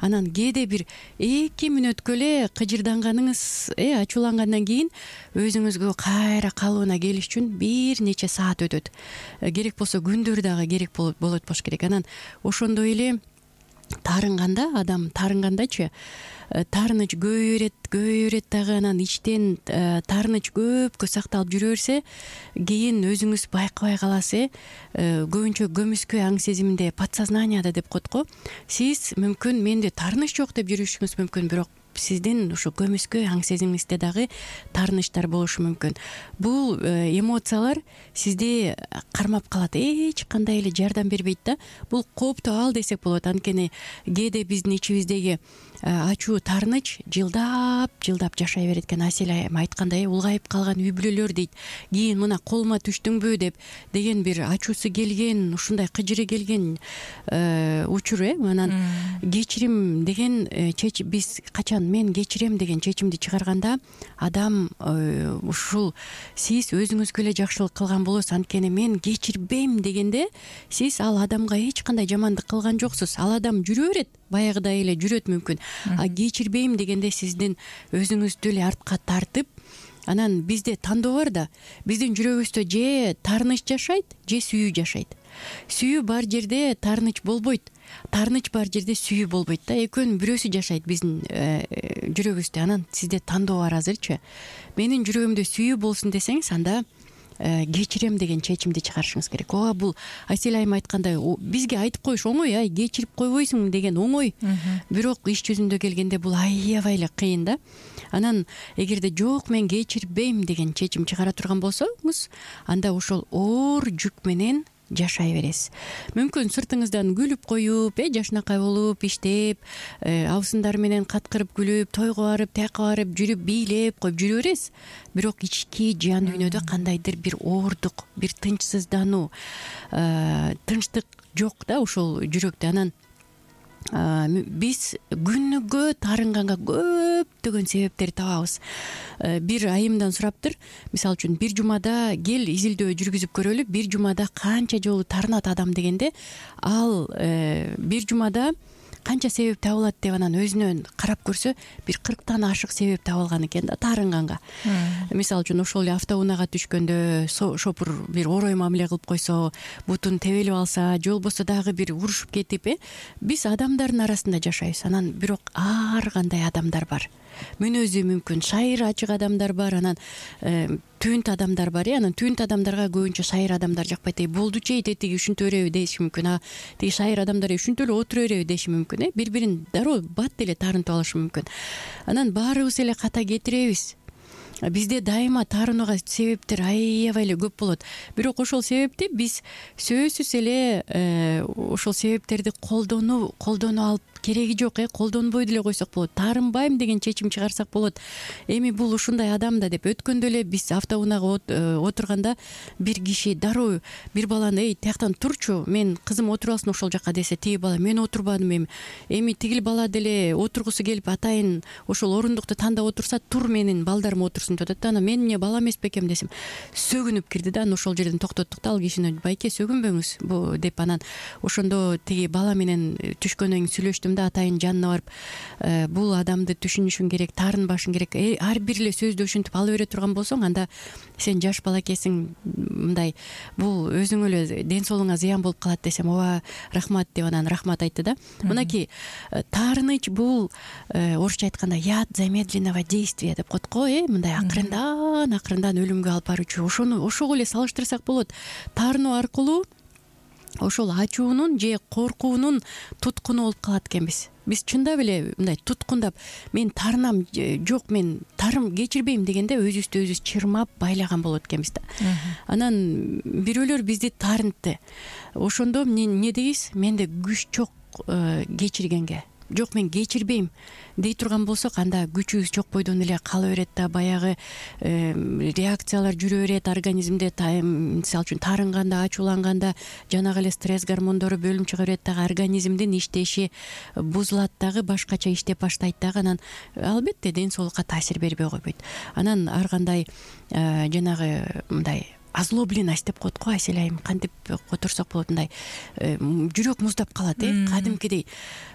анан кээде бир эки мүнөткө эле кыжырданганыңыз, э ачуулангандан кийин өзүңүзгө кайра калыбына келиш үчүн бир нече саат өтөт. Керек болсо күндөр дагы керек болот болуш керек. Анан ошондой эле таарынганда, адам таарынгандачы таарыныч көбөйө берет, көбөйө берет дагы, анан ичтен таарыныч көпкө сакталып жүрө берсе, кийин өзүңүз байкабай каласыз, э көбүнчө көмүскө аң сезиминде, подсознанияда деп коет го. Сиз мүмкүн менде таарыныч жок деп жүрүшүңүз мүмкүн, бирок сиздин ошо көмүскө аң сезимиңизде дагы таарынычтар болушу мүмкүн. Бул эмоциялар сизди кармап калат, эч кандай эле жардам бербейт да. Бул кооптуу абал десек болот. Анткени кээде биздин ичибиздеги ачуу, таарыныч жылдап жылдап жашай берет экен. Асель айым айткандай, улгайып калган үй бүлөлөр дейт. Кийин мына колума түштүңбү деп деген бир ачуусу келген, ушундай кыжыры келген учур, э анан кечирим деген чечим, биз качан мен кечирем деген чечимди чыгарганда, адам ушул сиз өзүңүзгө эле жакшылык кылган болосуз. Анткени мен кечирбейм дегенде сиз ал адамга эч кандай жамандык кылган жоксуз. Ал адам жүрө берет, баягыдай эле жүрөт мүмкүн. А кечирбейм дегенде сиздин өзүңүздү эле артка тартып, анан бизде тандоо бар да. Биздин жүрөгүбүздө же таарыныч жашайт, же сүйүү жашайт. Сүйүү бар жерде таарыныч болбойт. Таарыныч бар жерде сүйүү болбойт да. Экөөнүн бирөөсү жашайт биздин жүрөгүбүздө. Анан сизде тандоо бар азырчы. Менин жүрөгүмдө сүйүү болсун десеңиз, анда кечирем деген чечимди чыгарышыңыз керек. Ооба, бул Асель айым айткандай, бизге айтып коюш оңой, ай кечирип койбойсуң деген оңой. Бирок иш жүзүндө келгенде бул аябай эле кыйын да. Анан эгерде жок, мен кечирбейм деген чечим чыгара турган болсоңуз, анда ошол оор жүк менен жашай бересиз. Мүмкүн сыртыңыздан күлүп коюп, э жашынакай болуп, иштеп, абысындар менен каткырып күлүп, тойго барып, тияка барып, жүрүп, бийлеп коюп жүрө бересиз. Бирок ички жан дүйнөдө кандайдыр бир оордук, бир тынчсыздануу, тынчтык жок да ошол жүрөктө. Анан биз күнүгө таарынганга көптөгөн себептерди табабыз. Бир айымдан сураптыр, мисалы үчүн бир жумада кел изилдөө жүргүзүп көрөлү, бир жумада канча жолу таарынат адам дегенде, ал бир жумада канча себеп табылат деп анан өзүнөн карап көрсө, бир кырктан ашык себеп табылган экен да таарынганга. Мисалы үчүн ошол эле автоунаага түшкөндө шопур бир орой мамиле кылып койсо, бутун тебелип алса, же болбосо дагы бир урушуп кетип, э биз адамдардын арасында жашайбыз. Анан бирок ар кандай адамдар бар. Мүнөзү мүмкүн шайыр ачык адамдар бар, анан түнт адамдар бар, э анан түнт адамдарга көбүнчө шайыр адамдар жакпайт. Эй, болду чей, тетиги ушинте береби деши мүмкүн. А тиги шайыр адамдар ушинте эле отура береби деши мүмкүн, э бири-бирин дароо бат эле таарынтып алышы мүмкүн. Анан баарыбыз эле ката кетиребиз. Бизде дайыма таарынууга себептер аябай эле көп болот. Бирок ошол себепти биз сөзсүз эле ошол себептерди колдонуу колдоно алып кереги жок, э колдонбой деле койсок болот. Таарынбайм деген чечим чыгарсак болот. Эми бул ушундай адам да деп. Өткөндө эле биз автоунаага отурганда бир киши дароо бир баланы, эй, тияктан турчу, мен кызым отуруп алсын ошол жака десе, тиги бала, мен отурбадым, эми эми тигил бала деле отургусу келип, атайын ошол орундукту тандап отурса, тур, менин балдарым отурсун деп атат. Анан мен эмне бала эмес бекем десем, сөгүнүп кирди да. Анан ошол жерден токтоттук да ал кишини. Байке, сөгүнбөңүз бу деп. Анан ошондо тиги бала менен түшкөндөн кийин сүйлөштүм да, атайын жанына барып, бул адамды түшүнүшүң керек, таарынбашың керек. Ар бир эле сөздү ушинтип ала бере турган болсоң, анда сен жаш бала экенсиң, мындай бул өзүңө эле ден соолугуңа зыян болуп калат десем, ооба, рахмат деп анан рахмат айтты да. Мынакей таарыныч бул орусча айтканда яд замедленного действия деп коет го, э мындай акырындан акырындан өлүмгө алып баруучу. Ошону ошого эле салыштырсак болот. Таарынуу аркылуу ошол ачуунун же коркуунун туткуну болуп калат экенбиз. Биз чындап эле мындай туткундап мен тарынам, жок мен тарым кечирбейм дегенде өзүбүздү өзүбүз чырмап байлаган болот экенбиз да. Анан бирөөлөр бизди тарынтты. Ошондо эмне дейбиз? Менде күч жок кечиргенге. Жок мен кечирбейм дей турган болсок, анда күчүбүз жок бойдон эле кала берет да, баягы реакциялар жүрө берет организмде. Мисалы үчүн тарынганда, ачууланганда жанагы эле стресс гормондору бөлүнүп чыга берет дагы, организмдин иштеши бузулат дагы, башкача иштеп баштайт дагы. Анан албетте ден соолукка таасир бербей койбойт. Анан ар кандай жанагы мындай озлобленность деп коет го, Айсель айым, кантип которсок болот, мындай жүрөк муздап калат, э кадимкидей.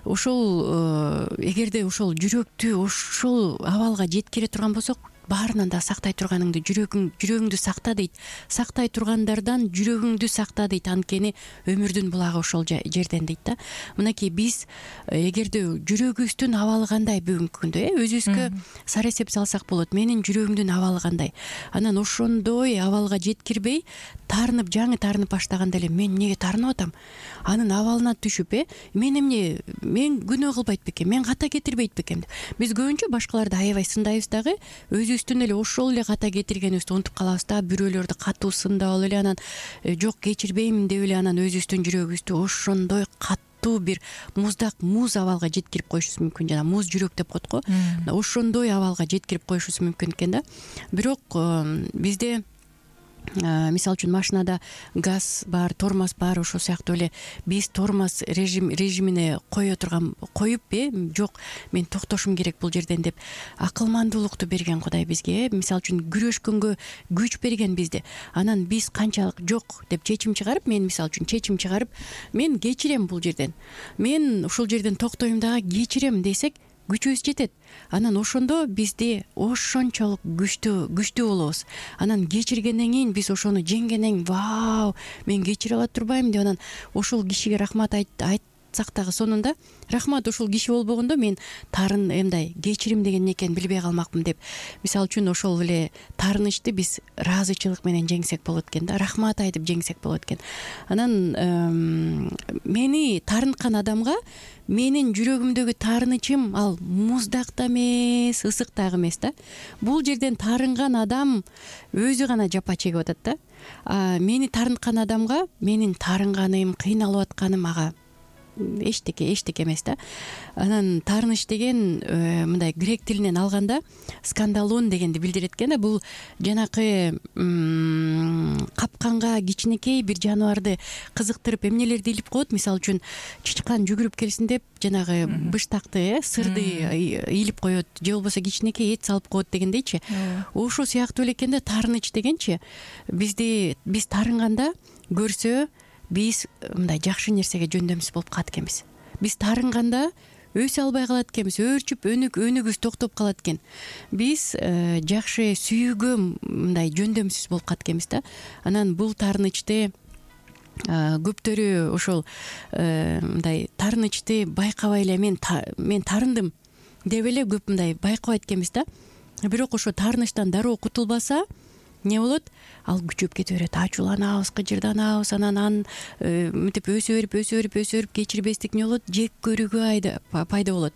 Ошол эгерде ошол жүрөктү ошол абалга жеткире турган болсок, баарынан да сактай турганыңды жүрөгүң жүрөгүңдү сакта дейт. Сактай тургандардан жүрөгүңдү сакта дейт. Анткени өмүрдүн булагы ошол жерден дейт да. Мынакей биз эгерде жүрөгүбүздүн абалы кандай бүгүнкү күндө, э өзүбүзгө сара эсеп салсак болот. Менин жүрөгүмдүн абалы кандай? Анан ошондой абалга жеткирбей, тарынып, жаңы тарынып баштаганда эле мен эмнеге тарынып атам? Анын абалына түшүп, э мен эмне, мен күнөө кылбайт бекен, мен ката кетирбейт бекен деп. Биз көбүнчө башкаларды аябай сындайбыз дагы, өзүбүздүн эле ошол эле ката кетиргенибизди унутуп калабыз да. Бирөөлөрдү катуу сындап алып эле, анан жок кечирбейм деп эле, анан өзүбүздүн жүрөгүбүздү ошондой катуу бир муздак муз абалга жеткирип коюшубуз мүмкүн. Жана муз жүрөк деп коет го. Ошондой абалга жеткирип коюшубуз мүмкүн экен да. Бирок бизде мисалы үчүн машинада газ бар, тормоз бар, ошол сыяктуу эле биз тормоз режим режимине кое турган коюп, э жок мен токтошум керек бул жерден деп акылмандуулукту берген Кудай бизге, э мисалы үчүн күрөшкөнгө күч берген бизди. Анан биз канчалык жок деп чечим чыгарып, мен мисалы үчүн чечим чыгарып, мен кечирем бул жерден, мен ушул жерден токтойм дагы кечирем десек, күчүбүз жетет. Анан ошондо бизди ошончолук күчтүү күчтүү болобуз. Анан кечиргенден кийин биз ошону жеңгенден кийин, вау, мен кечире ала турбаймын деп анан ошол кишиге рахмат айтсак дагы сонунда рахмат, ушул киши болбогондо мен тарын эмдай кечирим деген эмне экенин билбей калмакмын деп. Мисалы үчүн ошол эле таарынычты биз ыраазычылык менен жеңсек болот экен да, рахмат айтып жеңсек болот экен. Анан мени таарынткан адамга менин жүрөгүмдөгү таарынычым ал муздак да эмес, ысык дагы эмес да. Бул жерден таарынган адам өзү гана жапа чегип атат да. А мени таарынткан адамга менин таарынганым, кыйналып атканым ага эчтеке эчтеке эмес да. Анан таарыныч деген мындай грек тилинен алганда скандалон дегенди билдирет экен да. Бул жанакы капканга кичинекей бир жаныбарды кызыктырып эмнелерди илип коет. Мисалы үчүн чычкан жүгүрүп келсин деп жанагы быштакты, э сырды илип коет, же болбосо кичинекей эт салып коет дегендейчи. Ошол сыяктуу эле экен да таарыныч дегенчи. Бизди биз таарынганда көрсө биз мындай жакшы нерсеге жөндөмсүз болуп калат экенбиз. Биз таарынганда өсө албай калат экенбиз, өөрчүп өнүк өнүгүбүз токтоп калат экен. Биз жакшы сүйүүгө мындай жөндөмсүз болуп калат экенбиз да. Анан бул таарынычты көптөрү ошол мындай таарынычты байкабай эле мен мен таарындым деп эле көп мындай байкабайт экенбиз да. Бирок ошо таарынычтан дароо кутулбаса эмне болот? Ал күчөп кете берет, ачууланабыз, кыжырданабыз, анан ан мынтип өсө берип, өсө берип, өсө берип кечирбестик эмне болот? Жек көрүүгө пайда болот.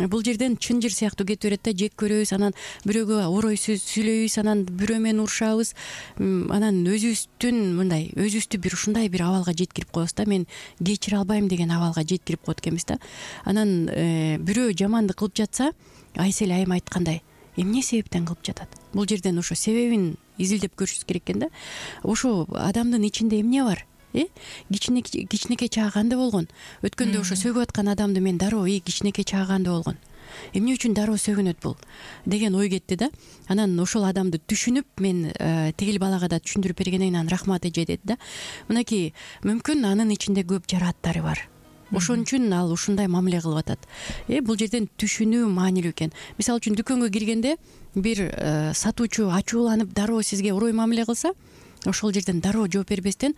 Бул жерден чынжыр сыяктуу кетип берет да, жек көрөбүз, анан бирөөгө орой сүйлөйбүз, анан бирөө менен урушабыз, анан өзүбүздүн мындай өзүбүздү бир ушундай бир абалга жеткирип коебуз да. Мен кечире албайм деген абалга жеткирип коет экенбиз да. Анан бирөө жамандык кылып жатса, Айсель айым айткандай, эмне себептен кылып жатат? Бул жерден ошо себебин изилдеп көрүшүбүз керек экен да. Ошо адамдын ичинде эмне бар? Э кичинекей кичинекей чагы кандай болгон? Өткөндө ошо сөгүп аткан адамды мен дароо и кичинекей чагы кандай болгон? Эмне үчүн дароо сөгүнөт бул деген ой кетти да. Анан ошол адамды түшүнүп, мен тигил балага да түшүндүрүп бергенден кийин анын рахматы жетет да. Мынакей мүмкүн анын ичинде көп жарааттары бар. Ошон үчүн ал ушундай мамиле кылып атат. Э бул жерден түшүнүү маанилүү экен. Мисалы үчүн дүкөнгө киргенде бир сатуучу ачууланып дароо сизге орой мамиле кылса, ошол жерден дароо жооп бербестен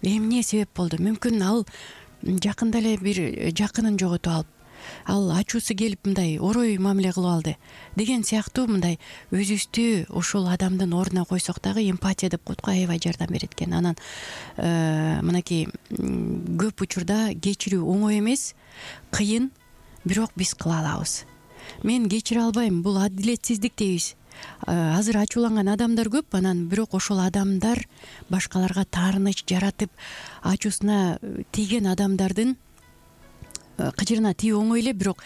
эмне себеп болду? Мүмкүн ал жакында эле бир жакынын жоготуп алып, ал ачуусу келип мындай орой мамиле кылып алды деген сыяктуу мындай өзүбүздү ошол адамдын ордуна койсок дагы эмпатия деп коет го, аябай жардам берет экен. Анан мынакей көп учурда кечирүү оңой эмес, кыйын, бирок биз кыла алабыз. Мен кечире албайм, бул адилетсиздик дейбиз. Азыр ачууланган адамдар көп, анан бирок ошол адамдар башкаларга таарыныч жаратып, ачуусуна тийген адамдардын кыжырына тийүү оңой эле, бирок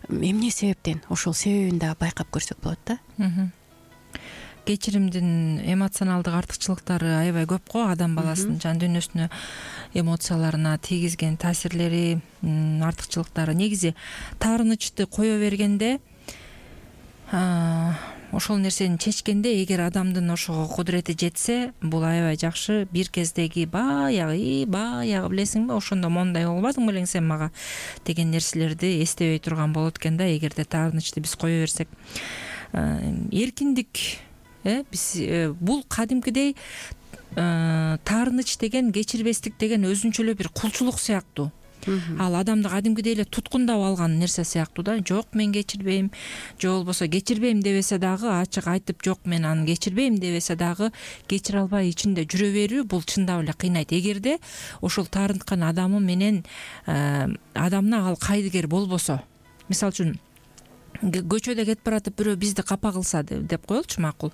эмне себептен, ошол себебин да байкап көрсөк болот да. Кечиримдин эмоционалдык артыкчылыктары аябай көп го, адам баласынын жан дүйнөсүнө, эмоцияларына тийгизген таасирлери, артыкчылыктары. Негизи таарынычты кое бергенде, ошол нерсени чечкенде, эгер адамдын ошого кудурети жетсе, бул аябай жакшы. Бир кездеги баягы, баягы билесиңби, ошондо мондай болбодуңбу элең сен мага деген нерселерди эстебей турган болот экен да, эгерде таарынычты биз кое берсек. Эркиндик, биз бул кадимкидей таарыныч деген, кечирбестик деген өзүнчө эле бир кулчулук сыяктуу. Ал адамды кадимкидей эле туткундап алган нерсе сыяктуу да. Жок, мен кечирбейм, же болбосо кечирбейм дебесе дагы, ачык айтып жок мен аны кечирбейм дебесе дагы, кечире албай ичинде жүрө берүү, бул чындап эле кыйнайт. Эгерде ошол таарынткан адамы менен адамына ал кайдыгер болбосо, мисалы үчүн көчөдө кетип баратып бирөө бизди капа кылса деп коелучу, макул.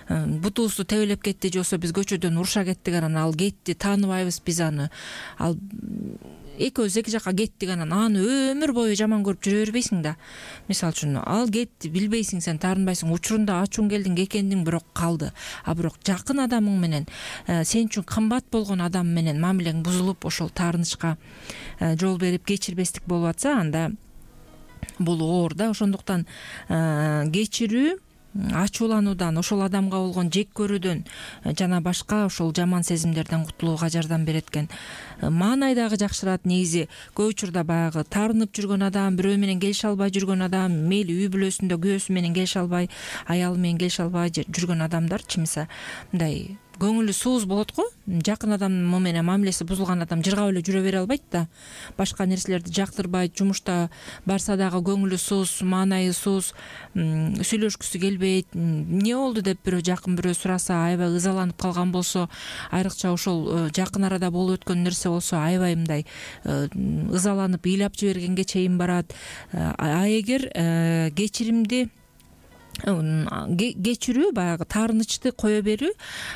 Бутубузду тебелеп кетти, же болбосо биз көчөдөн уруша кеттик, анан ал кетти, тааныбайбыз биз аны. Ал экөөбүз эки жакка кеттик, анан аны өмүр бою жаман көрүп жүрө бербейсиң да. Мисалы үчүн, ал кетти, билбейсиң, сен таарынбайсың, учурунда ачууң келдиң, экендиң, бирок калды. А бирок жакын адамың менен, сен үчүн кымбат болгон адам менен мамилең бузулуп, ошол таарынычка жол берип кечирбестик болуп атса, анда бул оор да. Ошондуктан кечирүү ачуулануудан, ошол адамга болгон жек көрүүдөн жана башка ошол жаман сезимдерден кутулууга жардам берет экен. Маанай дагы жакшырат. Негизи көп учурда баягы таарынып жүргөн адам, бирөө менен келише албай жүргөн адам, мейли үй бүлөсүндө күйөөсү менен келише албай, аялы менен келише албай жүргөн адамдар чимиса мындай көңүлү сууз болот го. Жакын адам менен мамилеси бузулган адам жыргап эле жүрө бере албайт да. Башка нерселерди жактырбайт, жумушта барса дагы көңүлү сууз, маанайы сууз, сүйлөшкүсү келбейт. Эмне болду деп бирөө жакын бирөө сураса, аябай ызаланып калган болсо, айрыкча ошол жакын арада болуп өткөн нерсе болсо, аябай мындай ызаланып, ыйлап жибергенге чейин барат. А эгер кечиримди кечирүү, баягы таарынычты кое берүү,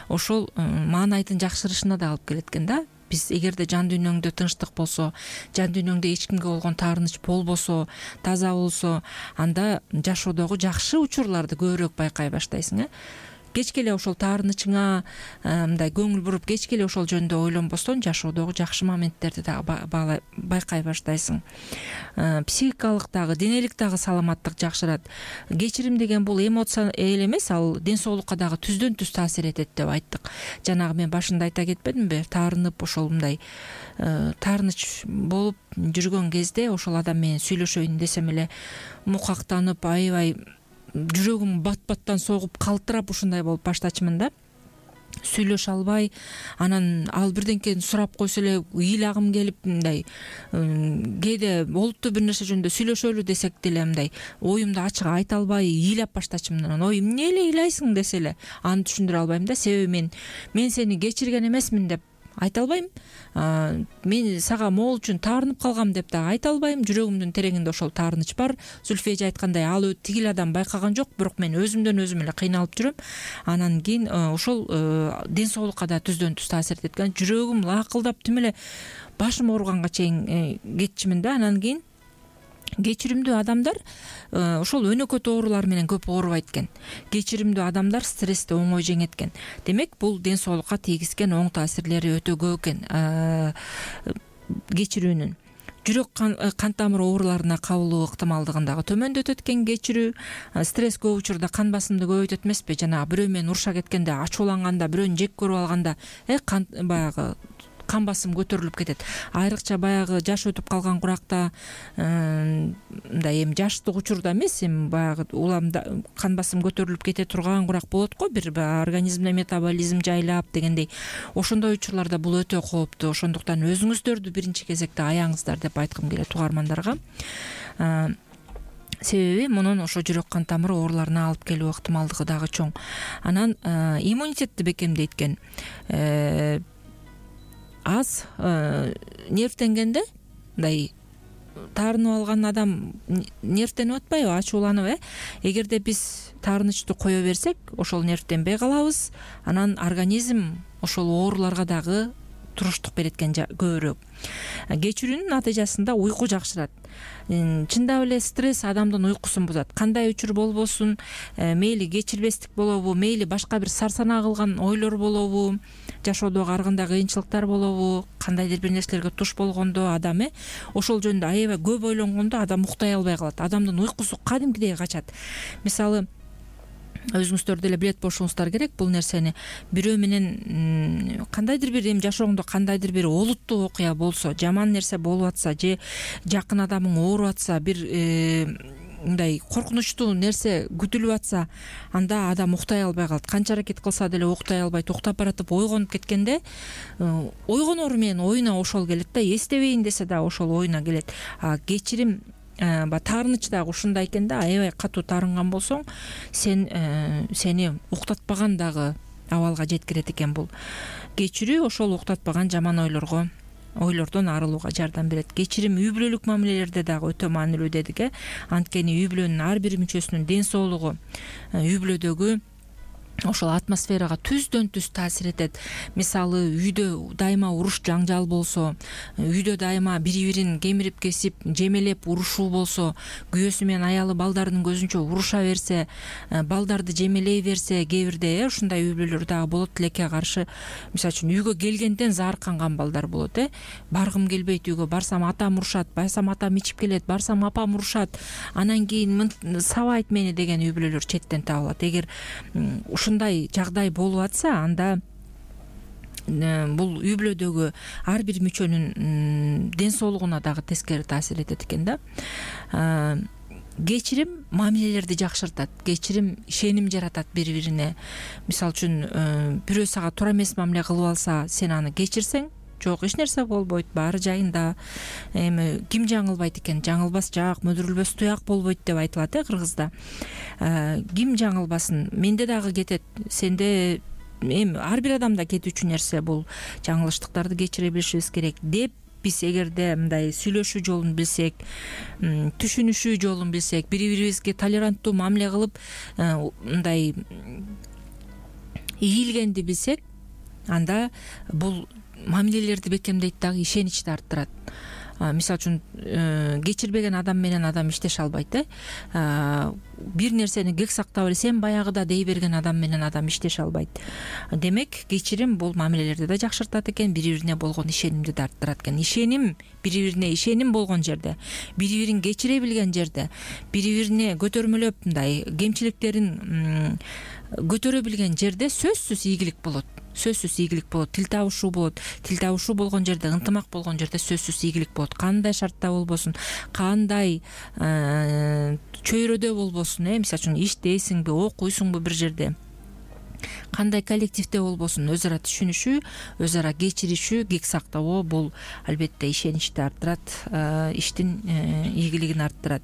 ошол маанайдын жакшырышына да алып келет экен да. Биз эгерде жан дүйнөңдө тынчтык болсо, жан дүйнөңдө эч кимге болгон таарыныч болбосо, таза болсо, анда жашоодогу жакшы учурларды көбүрөөк байкай баштайсың. Кечке эле ошол таарынычыңа мындай көңүл буруп, кечке эле ошол жөнүндө ойлонбостон, жашоодогу жакшы моменттерди дагы байкай баштайсың. Психикалык дагы, денелик дагы саламаттык жакшырат. Кечирим деген бул эмоция эле эмес, ал ден соолукка дагы түздөн түз таасир этет деп айттык. Жанагы мен башында айта кетпедимби? Таарынып, ошол мындай таарыныч болуп жүргөн кезде ошол адам менен сүйлөшөйүн десем эле мукактанып, аябай жүрөгүм бат-баттан согуп, калтырап ушундай болуп баштачымын да. Сүйлөшө албай, анан ал бирденкени сурап койсо эле ыйлагым келип, мындай кээде болупту бир нерсе жөнүндө сүйлөшөлү десек деле мындай оюмду ачык айта албай ыйлап баштачымын. Анан ой, эмне эле ыйлайсың десе эле аны түшүндүрө албайм да. Себеби мен мен сени кечирген эмесмин деп айта албайм. Мен сага могул үчүн таарынып калгам деп да айта албайм. Жүрөгүмдүн тереңинде ошол таарыныч бар. Зүлфия эже айткандай, ал тигил адам байкаган жок, бирок мен өзүмдөн өзүм эле кыйналып жүрөм. Анан кийин ошол ден соолукка да түздөн түз таасир этет экен. Жүрөгүм лакылдап тим эле башым ооруганга чейин кетчимин да. Анан кийин кечиримдүү адамдар ошол өнөкөт оорулар менен көп оорубайт экен. Кечиримдүү адамдар стрессти оңой жеңет экен. Демек, бул ден соолукка тийгизген оң таасирлери өтө көп экен кечирүүнүн. Жүрөк кан тамыр ооруларына кабылуу ыктымалдыгын дагы төмөндөтөт экен кечирүү. Стресс көп учурда кан басымды көбөйтөт эмеспи? Жанагы бирөө менен уруша кеткенде, ачууланганда, бирөөнү жек көрүп алганда, э кан баягы кан басым көтөрүлүп кетет. Айрыкча баягы жаш өтүп калган куракта, мындай эми жаштык учурда эмес, эми баягы уламда кан басым көтөрүлүп кете турган курак болот го, бир организмде метаболизм жайлап дегендей. Ошондой учурларда бул өтө кооптуу. Ошондуктан өзүңүздөрдү биринчи кезекте аяңыздар деп айткым келет угармандарга. себеби мунун ошо жүрөк кан тамыры ооруларына алып келүү ыктымалдыгы дагы чоң. Анан иммунитетти бекемдейт экен. Аз нервтенгенде мындай таарынып алган адам нервтенип атпайбы, ачууланып, э эгерде биз таарынычты кое берсек, ошол нервтенбей калабыз. Анан организм ошол ооруларга дагы туруштук берет экен көбүрөөк. Кечирүүнүн натыйжасында уйку жакшырат. Чындап эле стресс адамдын уйкусун бузат. Кандай учур болбосун, мейли кечирбестик болобу, мейли башка бир сарсанаа кылган ойлор болобу, жашоодогу ар кандай кыйынчылыктар болобу, кандайдыр бир нерселерге туш болгондо адам э ошол жөнүндө аябай көп ойлонгондо адам уктай албай калат. Адамдын уйкусу кадимкидей качат. Мисалы, өзүңүздөр деле билет болушуңуздар керек бул нерсени. Бирөө менен кандайдыр бир эми жашооңдо кандайдыр бир олуттуу окуя болсо, жаман нерсе болуп атса же жакын адамың ооруп атса, бир мындай коркунучтуу нерсе күтүлүп атса, анда адам уктай албай калат. Канча аракет кылса деле уктай албайт. Уктап баратып ойгонуп кеткенде ойгонору менен оюна ошол келет да, эстебейин десе да ошол оюна келет. А кечирим таарыныч дагы ушундай экен да, аябай катуу таарынган болсоң, сен сени уктатпаган дагы абалга жеткирет экен бул. Кечирүү ошол уктатпаган жаман ойлорго ойлордон арылууга жардам берет. Кечирим үй бүлөлүк мамилелерде дагы өтө маанилүү дедик, э анткени үй бүлөнүн ар бир мүчөсүнүн ден соолугу үй бүлөдөгү ошол атмосферага түздөн түз таасир этет. Мисалы, үйдө дайыма уруш жаңжал болсо, үйдө дайыма бири-бирин кемирип кесип, жемелеп урушуу болсо, күйөөсү менен аялы балдардын көзүнчө уруша берсе, балдарды жемелей берсе, кээ бирде ушундай үй бүлөлөр дагы болот. Тилекке каршы, мисалы үчүн үйгө келгенден заарканган балдар болот, э баргым келбейт үйгө, барсам атам урушат, барсам атам ичип келет, барсам апам урушат, анан кийин сабайт мени деген үй бүлөлөр четтен табылат. Эгер ушундай жагдай болуп атса, анда бул үй бүлөдөгү ар бир мүчөнүн ден соолугуна дагы тескери таасир этет экен да. Кечирим мамилелерди жакшыртат. Кечирим ишеним жаратат бири-бирине. Мисалы үчүн бирөө сага туура эмес мамиле кылып алса, сен аны кечирсең, жок, эч нерсе болбойт, баары жайында. Эми ким жаңылбайт экен? Жаңылбас жак, мөдүрүлбөс туяк болбойт деп айтылат, э кыргызда. Ким жаңылбасын? Менде дагы кетет, сенде, эми ар бир адамда кетүүчү нерсе бул. Жаңылыштыктарды кечире билишибиз керек деп биз эгерде мындай сүйлөшүү жолун билсек, түшүнүшүү жолун билсек, бири-бирибизге толеранттуу мамиле кылып, мындай ийилгенди билсек, анда бул мамилелерди бекемдейт дагы, ишеничти арттырат. Мисалы үчүн кечирбеген адам менен адам иштеше албайт, э бир нерсени кек сактап эле сен баягыда дей берген адам менен адам иштеше албайт. Демек, кечирим бул мамилелерди да жакшыртат экен, бири-бирине болгон ишенимди да арттырат экен. Ишеним, бири-бирине ишеним болгон жерде, бири-бирин кечире билген жерде, бири-бирине көтөрмөлөп мындай кемчиликтерин көтөрө билген жерде сөзсүз ийгилик болот. Сөзсүз ийгилик болот. Тил табышуу болот. Тил табышуу болгон жерде, ынтымак болгон жерде сөзсүз ийгилик болот. Кандай шартта болбосун, кандай чөйрөдө болбосун, э мисалы үчүн иштейсиңби, окуйсуңбу бир жерде, кандай коллективде болбосун, өз ара түшүнүшүү, өз ара кечиришүү, кек сактабоо бул албетте ишеничти арттырат, иштин ийгилигин арттырат.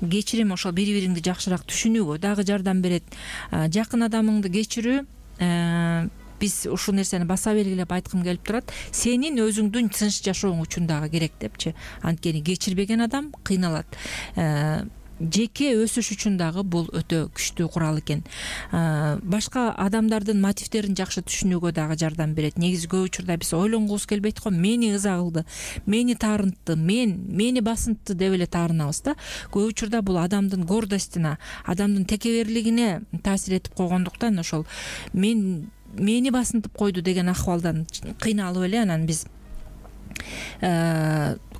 Кечирим ошол бири-бириңди жакшыраак түшүнүүгө дагы жардам берет. Жакын адамыңды кечирүү, биз ушул нерсени баса белгилеп айткым келип турат. Сенин өзүңдүн тынч жашооң үчүн дагы керек депчи. Анткени кечирбеген адам кыйналат. Жеке өсүш үчүн дагы бул өтө күчтүү курал экен. Башка адамдардын мотивдерин жакшы түшүнүүгө дагы жардам берет. Негизи көп учурда биз ойлонгубуз келбейт го, мени ыза кылды, мени таарынтты, мен мени басынтты деп эле таарынабыз да. Көп учурда бул адамдын гордостуна, адамдын текеберлигине таасир этип койгондуктан ошол мен мени басынтып койду деген акыбалдан кыйналып эле анан биз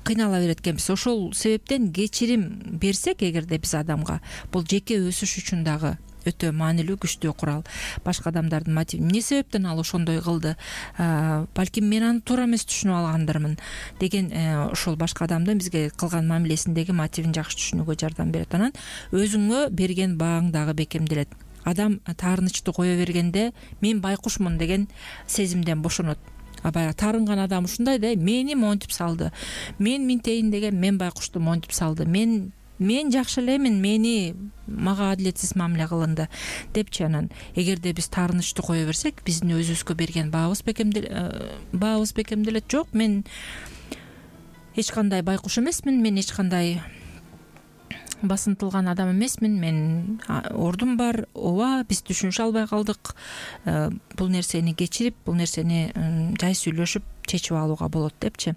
кыйнала берет экенбиз. Ошол себептен кечирим берсек эгерде биз адамга, бул жеке өсүш үчүн дагы өтө маанилүү, күчтүү курал. Башка адамдардын мотиви эмне себептен ал ошондой кылды, балким мен аны туура эмес түшүнүп алгандырмын деген ошол башка адамдын бизге кылган мамилесиндеги мотивин жакшы түшүнүүгө жардам берет. Анан өзүңө берген бааң дагы бекемделет. Адам таарынычты кое бергенде мен байкушмун деген сезимден бошонот. баягы таарынган адам ушундай да, мени монтип салды, мен минтейин деген мен байкушту монтип салды, мен мен жакшы элемин, мени мага адилетсиз мамиле кылынды депчи. Анан эгерде биз таарынычты кое берсек, биздин өзүбүзгө берген баабыз баабыз бекемделет. Жок, мен эч кандай байкуш эмесмин, мен эч кандай басынтылган адам эмесмин, мен ордум бар, ооба биз түшүнүшө албай калдык, бул нерсени кечирип, бул нерсени жай сүйлөшүп чечип алууга болот депчи.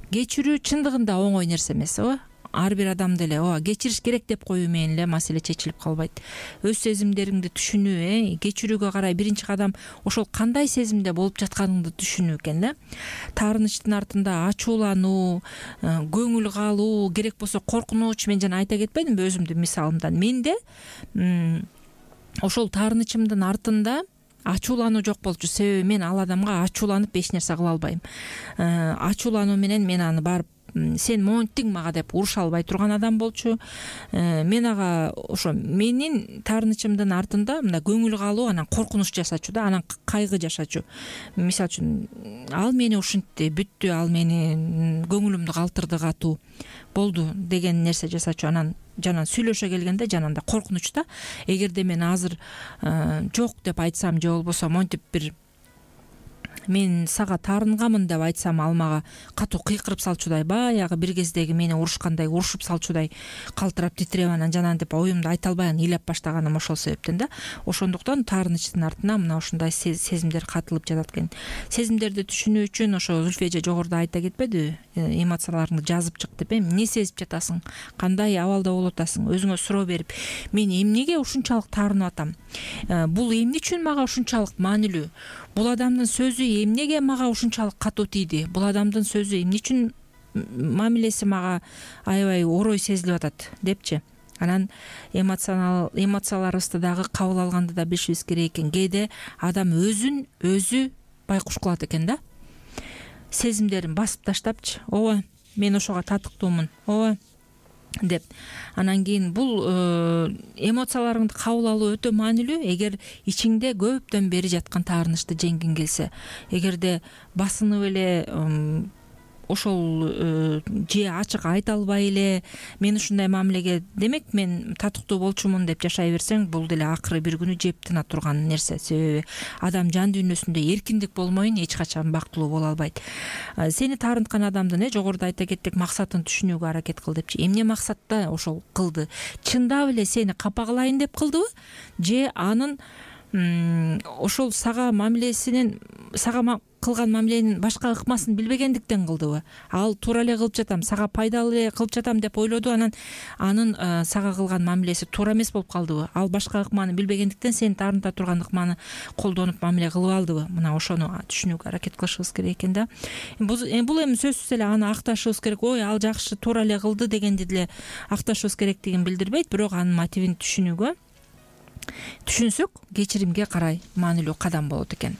Кечирүү чындыгында оңой нерсе эмес, ооба. Ар бир адам деле ооба кечириш керек деп коюу менен эле маселе чечилип калбайт. Өз сезимдериңди түшүнүү, э, кечирүүгө карай биринчи кадам ошол кандай сезимде болуп жатканыңды түшүнүү экен да. Таарынычтын артында ачуулануу, көңүл калуу, керек болсо коркунуч, мен жана айта кетпедимби өзүмдүн мисалымдан. Менде ошол таарынычымдын артында ачуулануу жок болчу. Себеби мен ал адамга ачууланып эч нерсе кыла албайм. Ачуулануу менен мен аны барып сен монттиң мага деп уруша албай турган адам болчу. Мен ага ошо менин таарынычымдын артында мындай көңүл калуу, анан коркунуч жашачу да, анан кайгы жашачу. Мисалы үчүн ал мени ушинтти, бүттү, ал мени көңүлүмдү калтырды катуу болду деген нерсе жасачу. Анан жанан сүйлөшө келгенде жананда коркунуч да. Эгерде мен азыр жок деп айтсам, же болбосо монтип бир мен сага таарынгамын деп айтсам, ал мага катуу кыйкырып салчудай, баягы бир кездеги мени урушкандай, урушуп салчудай калтырап титиреп, анан жанагынтип оюмду айта албай анан ыйлап баштаганым ошол себептен да. Ошондуктан таарынычтын артына мына ушундай сезимдер катылып жатат экен. Сезимдерди түшүнүү үчүн ошо Зүлфия эже жогоруда айта кетпедиби, эмоцияларыңды жазып чык деп, эмне сезип жатасың, кандай абалда болуп атасың, өзүңө суроо берип, мен эмнеге ушунчалык таарынып атам, бул эмне үчүн мага ушунчалык маанилүү, бул адамдын сөзү эмнеге мага ушунчалык катуу тийди, бул адамдын сөзү эмне үчүн мамилеси мага аябай орой сезилип атат депчи. Анан эмоционал эмоцияларыбызды дагы кабыл алганды да билишибиз керек экен. Кээде адам өзүн өзү байкуш кылат экен да, сезимдерин басып таштапчы, ооба мен ошого татыктуумун, ооба деп. Анан кийин бул эмоцияларыңды кабыл алуу өтө маанилүү. Эгер ичиңде көптөн бери жаткан таарынычты жеңгиң келсе, эгерде басынып эле ошол же ачык айта албай эле мен ушундай мамилеге, демек мен татыктуу болчумун деп жашай берсең, бул деле акыры бир күнү жеп тына турган нерсе. Себеби адам жан дүйнөсүндө эркиндик болмойун эч качан бактылуу боло албайт. Сени таарынткан адамдын э жогоруда айта кеттик, максатын түшүнүүгө аракет кыл депчи. Эмне максатта ошол кылды? Чындап эле сени капа кылайын деп кылдыбы, же анын ошол сага мамилесинин, сага кылган мамиленин башка ыкмасын билбегендиктен кылдыбы? Ал туура эле кылып жатам, сага пайдалуу эле кылып жатам деп ойлоду, анан анын сага кылган мамилеси туура эмес болуп калдыбы? Ал башка ыкманы билбегендиктен сени таарынта турган ыкманы колдонуп мамиле кылып алдыбы? Мына ошону түшүнүүгө аракет кылышыбыз керек экен да. Бул эми сөзсүз эле аны акташыбыз керек. Ой, ал жакшы, туура эле кылды дегенди деле акташыбыз керектигин билдирбейт, бирок анын мотивин түшүнүүгө түшүнсөк, кечиримге карай маанилүү кадам болот экен.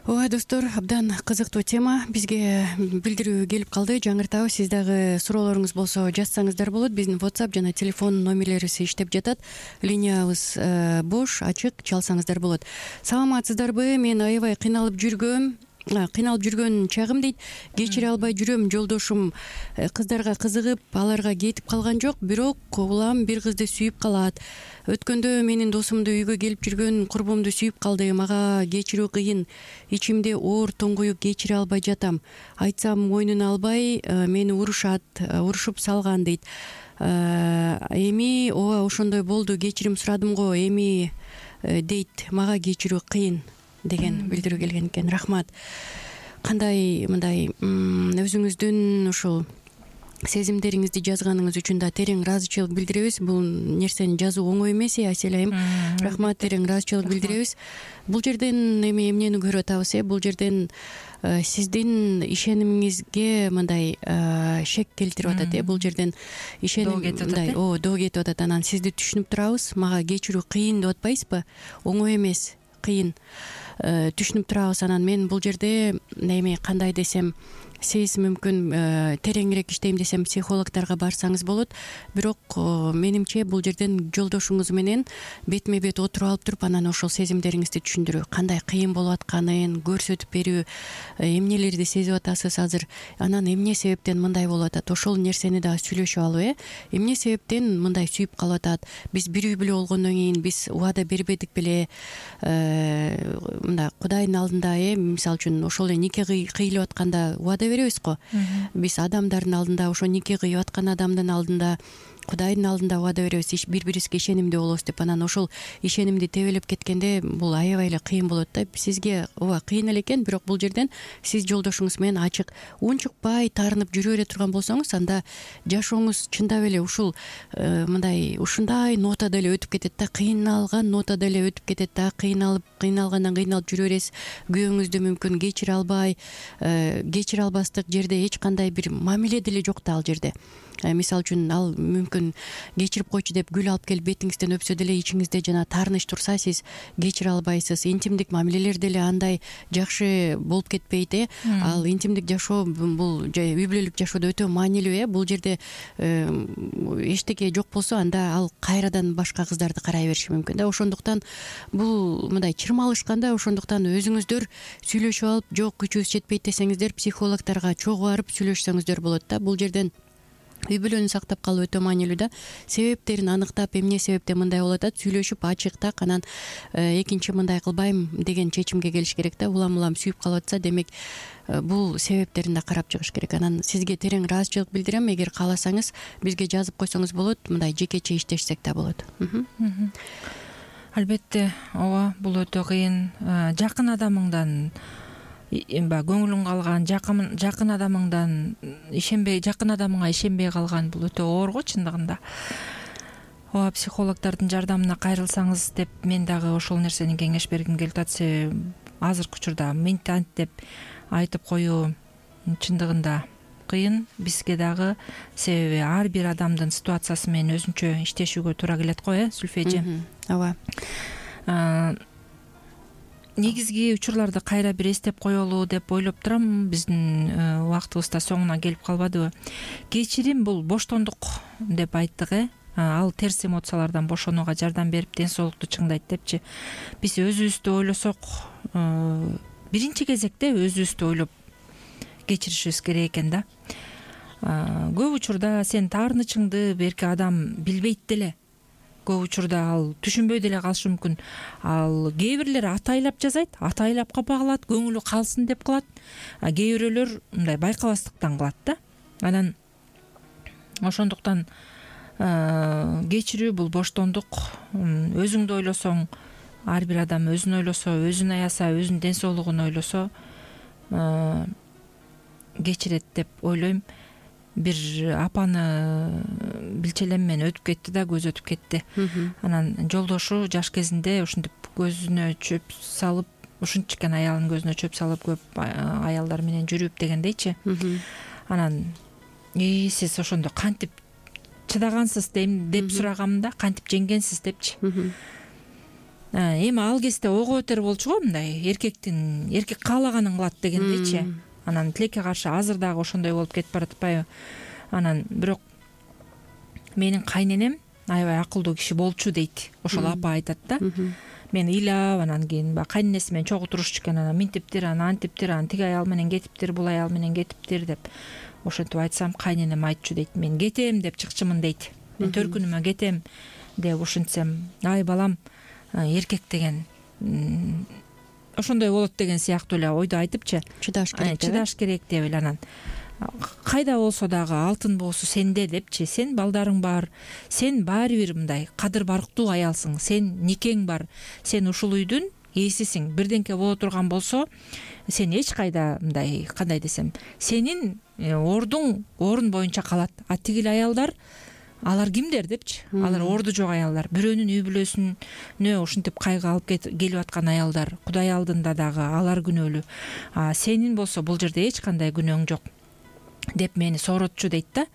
Ооба достор, абдан кызыктуу тема бизге билдирүү келип калды. Жаңыртабыз, сиз дагы суроолоруңуз болсо жазсаңыздар болот. Биздин WhatsApp жана телефон номерлерибиз иштеп жатат. Линиябыз бош, ачык, чалсаңыздар болот. Саламатсыздарбы? Мен аябай кыйналып жүргөм. кыйналып жүргөн чагым дейт, кечире албай жүрөм. Жолдошум кыздарга кызыгып, аларга кетип калган жок, бирок улам бир кызды сүйүп калат. Өткөндө менин досумду үйгө келип жүргөн курбумду сүйүп калды. Мага кечирүү кыйын, ичимде оор тоңгуюп кечире албай жатам. Айтсам мойнуна албай, мени урушат, урушуп салган дейт. Эми ооба ошондой болду, кечирим сурадым го, эми дейт, мага кечирүү кыйын деген билдирүү келген экен. Рахмат. Кандай мындай өзүңүздүн ушул сезимдериңизди жазганыңыз үчүн да терең ыраазычылык билдиребиз. Бул нерсени жазуу оңой эмес, Асель айым. Рахмат, терең ыраазычылык билдиребиз. Бул жерден эми эмнени көрүп атабыз, э? Бул жерден сиздин ишенимиңизге мындай шек келтирип атат, э? Бул жерден ишеним мындай о доо кетип атат. Анан сизди түшүнүп турабыз. Мага кечирүү кыйын деп атпайсызбы? Оңой эмес, кыйын. Түшүнүп турабыз. Анан мен бул жерде эми кандай десем, сиз мүмкүн тереңирээк иштейм десем психологдорго барсаңыз болот. Бирок менимче бул жерден жолдошуңуз менен бетме бет отуруп алып туруп анан ошол сезимдериңизди түшүндүрүү, кандай кыйын болуп атканын көрсөтүп берүү, эмнелерди сезип атасыз азыр, анан эмне себептен мындай болуп атат, ошол нерсени дагы сүйлөшүп алып, э эмне себептен мындай сүйүп калып атат, биз бири үй бүлө болгондон кийин биз убада бербедик беле, мындай Кудайдын алдында, э мисалы үчүн ошол эле нике кыйлып атканда убада беребиз го. Биз адамдардын алдында, ошо нике кыйып аткан адамдын алдында, Кудайдын алдында убада беребиз, бир бирибизге ишенимдүү болобуз деп. Анан ошол ишенимди тебелеп кеткенде бул аябай эле кыйын болот да. Сизге ооба кыйын эле экен, бирок бул жерден сиз жолдошуңуз менен ачык, унчукпай таарынып жүрө бере турган болсоңуз, анда жашооңуз чындап эле ушул мындай ушундай нотада эле өтүп кетет да, кыйналган нотада эле өтүп кетет да. Кыйналып, кыйналгандан кыйналып жүрө бересиз. Күйөөңүздү мүмкүн кечире албай, кечире албастык жерде эч кандай бир мамиле деле жок да ал жерде. Мисалы үчүн ал мүмкүн кечирип койчу деп гүл алып келип бетиңизден өпсө деле ичиңизде жана таарыныч турса, сиз кечире албайсыз. Интимдик мамилелер деле андай жакшы болуп кетпейт, э ал интимдик жашоо бул үй бүлөлүк жашоодо өтө маанилүү, э бул жерде эчтеке жок болсо, анда ал кайрадан башка кыздарды карай бериши мүмкүн да. Ошондуктан бул мындай чырмалышканда, ошондуктан өзүңүздөр сүйлөшүп алып, жок күчүбүз жетпейт десеңиздер, психологдорго чогуу барып сүйлөшсөңүздөр болот да. Бул жерден үй бүлөнү сактап калуу өтө маанилүү да. Себептерин аныктап, эмне себептен мындай болуп атат, сүйлөшүп ачык так, анан экинчи мындай кылбайм деген чечимге келиш керек да. Улам улам сүйүп калып атса, демек бул себептерин да карап чыгыш керек. Анан сизге терең ыраазычылык билдирем. Эгер кааласаңыз, бизге жазып койсоңуз болот, мындай жекече иштешсек да болот. Албетте, ооба, бул өтө кыйын. Жакын адамыңдан баягы көңүлүң калган, жакын жакын адамыңдан ишенбей, жакын адамыңа ишенбей калган, бул өтө оор го чындыгында. Ооба, психологдордун жардамына кайрылсаңыз деп мен дагы ошол нерсени кеңеш бергим келип атат. Себеби азыркы учурда мынт ант деп айтып коюу чындыгында кыйын бизге дагы. Себеби ар бир адамдын ситуациясы менен өзүнчө иштешүүгө туура келет го, э Сүлфө эже. Ооба. Негизги учурларды кайра бир эстеп коелу деп ойлоп турам. Биздин убактыбыз да соңуна келип калбадыбы? Кечирим бул боштондук деп айттык, э ал терс эмоциялардан бошонууга жардам берип, ден соолукту чыңдайт депчи. Биз өзүбүздү ойлосок, биринчи кезекте өзүбүздү ойлоп кечиришибиз керек экен да. Көп учурда сен таарынычыңды берки адам билбейт деле. Көп учурда ал түшүнбөй деле калышы мүмкүн. Ал кээ бирлер атайлап жазайт, атайлап капа калат, көңүлү калсын деп кылат. А кээ бирөөлөр мындай байкабастыктан кылат да. Анан ошондуктан кечирүү бул боштондук. Өзүңдү ойлосоң, ар бир адам өзүн ойлосо, өзүн аяса, өзүнүн ден соолугун ойлосо кечирет деп ойлойм. Бир апаны билчелем мен өтүп кетти да, көз өтүп кетти. Анан жолдошу жаш кезинде ушинтип көзүнө чөп салып, ушунчуккен аялынын көзүнө чөп салып, көп аялдар менен жүрүп дегендейчи. Анан и сиз ошондо кантип чыдагансыз деп сурагам да, кантип жеңгенсиз депчи. Эми ал кезде ого өтөр болчу го, мындай эркектин эркек каалаганын кылат дегендейчи. Анан тилекке каршы азыр дагы ошондой болуп кетип баратпайбы? Анан бирок менин кайненем аябай акылдуу киши болчу дейт. Ошол апа айтат да. Мен ыйлап, анан кийин баягы кайненеси менен чогуу турушчу экен. Анан минтиптир, анан антиптир, анан тиги аял менен кетиптир, бул аял менен кетиптир деп. Ошентип айтсам, кайненем айтчу дейт. Мен кетем деп чыкчымын дейт. Мен төркүнүмө кетем деп ушинтсем, ай балам, эркек деген ошондой болот деген сыяктуу эле ойду айтыпчы. Чыдаш керек, чыдаш керек деп эле. Анан кайда болсо дагы алтын боосу сенде депчи. Сен балдарың бар, сен баары бир мындай кадыр барктуу аялсың, сен никең бар, сен ушул үйдүн ээсисиң. Бирденке боло турган болсо, сен эч кайда мындай, кандай десем, сенин ордуң орун боюнча калат. А тигил аялдар, алар кимдер депчи. Алар орду жок аялдар, бирөөнүн үй бүлөсүнө ушинтип кайгы алып келип аткан аялдар. Кудай алдында дагы алар күнөөлүү. А сенин болсо бул жерде эч кандай күнөөң жок. деп мени сооротчу дейт да.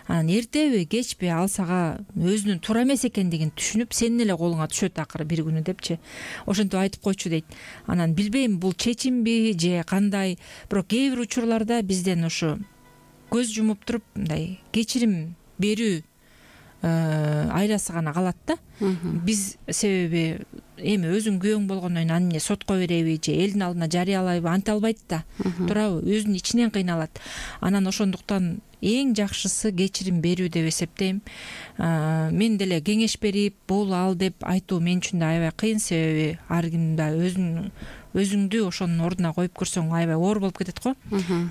Анан эртеби кечпи ал сага өзүнүн туура эмес экендигин түшүнүп сенин эле колуңа түшөт акыры бир күнү депчи. Ошентип айтып койчу дейт. Анан билбейм бул чечимби же кандай, бирок кээ бир учурларда бизден ушу көз жумуп туруп мындай кечирим берүү айласы гана калат да. Биз себеби эми өзүң күйөөң болгондон кийин аны эмне сотко береби же элдин алдына жарыялайбы анте албайт да. Туурабы? Өзүнүн ичинен кыйналат. Анан ошондуктан эң жакшысы кечирим берүү деп эсептейм. Мен деле кеңеш берип, бул ал деп айтуу мен үчүн да аябай кыйын, себеби ар ким да өзүн өзүңдү ошонун ордуна коюп көрсөң аябай оор болуп кетет го.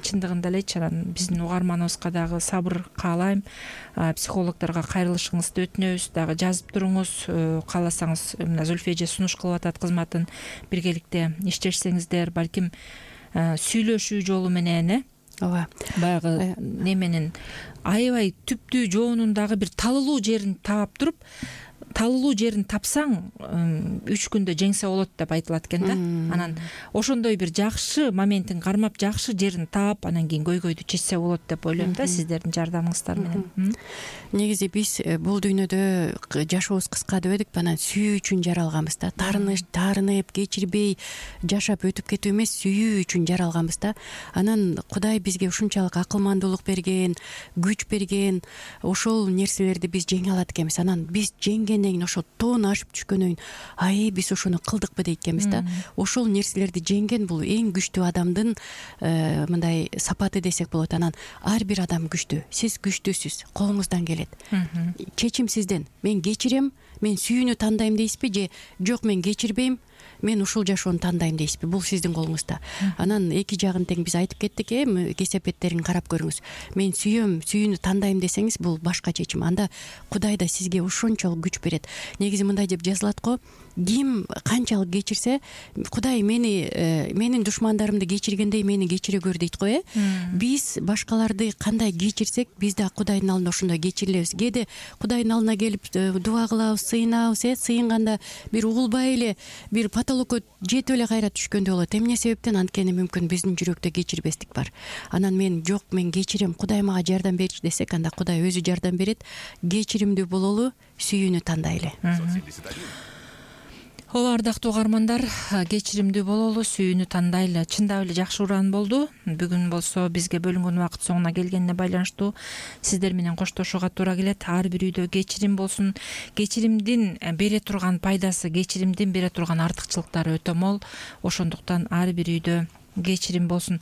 Чындыгында элечи. Анан биздин угарманыбызга дагы сабыр каалайм. Психологдорго кайрылышыңызды өтүнөбүз, дагы жазып туруңуз. Кааласаңыз мына Зүлфия эже сунуш кылып атат кызматын, биргеликте иштешсеңиздер, балким сүйлөшүү жолу менен э ооба баягы неменин аябай түптүү жоонун дагы бир талылуу жерин таап туруп, талылуу жерин тапсаң үч күндө жеңсе болот деп айтылат экен да. Анан ошондой бир жакшы моментин кармап, жакшы жерин таап, анан кийин көйгөйдү чечсе болот деп ойлойм да, сиздердин жардамыңыздар менен. Негизи биз бул дүйнөдө жашообуз кыска дебедикпи, анан сүйүү үчүн жаралганбыз да. Тарыныш, таарынып, кечирбей жашап өтүп кетүү эмес, сүйүү үчүн жаралганбыз да. Анан Кудай бизге ушунчалык акылмандуулук берген, күч берген, ошол нерселерди биз жеңе алат экенбиз. Анан биз жеңген ошо тоону ашып түшкөндөн кийин ай биз ошону кылдыкпы дейт экенбиз да. Ошол нерселерди жеңген бул эң күчтүү адамдын мындай сапаты десек болот. Анан ар бир адам күчтүү. Сиз күчтүүсүз, колуңуздан келет. Чечим сизден. Мен кечирем, мен сүйүүнү тандайм дейсизби же жок мен кечирбейм, мен ушул жашоону тандайм дейсизби? Бул сиздин колуңузда. Анан эки жагын тең биз айтып кеттик, эми кесепеттерин карап көрүңүз. Мен сүйөм, сүйүүнү тандайм десеңиз, бул башка чечим. Анда Кудай да сизге ошончолук күч берет. Негизи мындай деп жазылат го: ким канчалык кечирсе, Кудай мени менин душмандарымды кечиргендей мени кечире көр дейт го э. Биз башкаларды кандай кечирсек, биз да Кудайдын алдында ошондой кечирилебиз. Кээде Кудайдын алдына келип дуа кылабыз, сыйынабыз, э, сыйынганда бир угулбай эле, бир потолокко жетип эле кайра түшкөндөй болот. Эмне себептен? Анткени мүмкүн биздин жүрөктө кечирбестик бар. Анан мен жок, мен кечирем, Кудай мага жардам берчи десек, анда Кудай өзү жардам берет. Кечиримдүү бололу, сүйүүнү тандайлы. Ооба, ардактуу угармандар, кечиримдүү бололу, сүйүүнү тандайлы. Чындап эле жакшы уран болду. Бүгүн болсо бизге бөлүнгөн убакыт соңуна келгенине байланыштуу сиздер менен коштошууга туура келет. Ар бир үйдө кечирим болсун. Кечиримдин бере турган пайдасы, кечиримдин бере турган артыкчылыктары өтө мол. Ошондуктан ар бир үйдө кечирим болсун.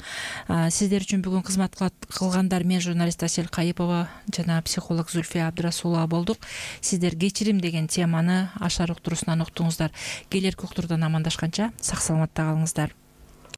Сиздер үчүн бүгүн кызмат кылгандар мен журналист Асель Кайыпова жана психолог Зүлфия Абдрасулова болдук. Сиздер кечирим деген теманы Ашар уктуруусунан уктуңуздар. Келерки уктуруудан амандашканча сак саламатта калыңыздар.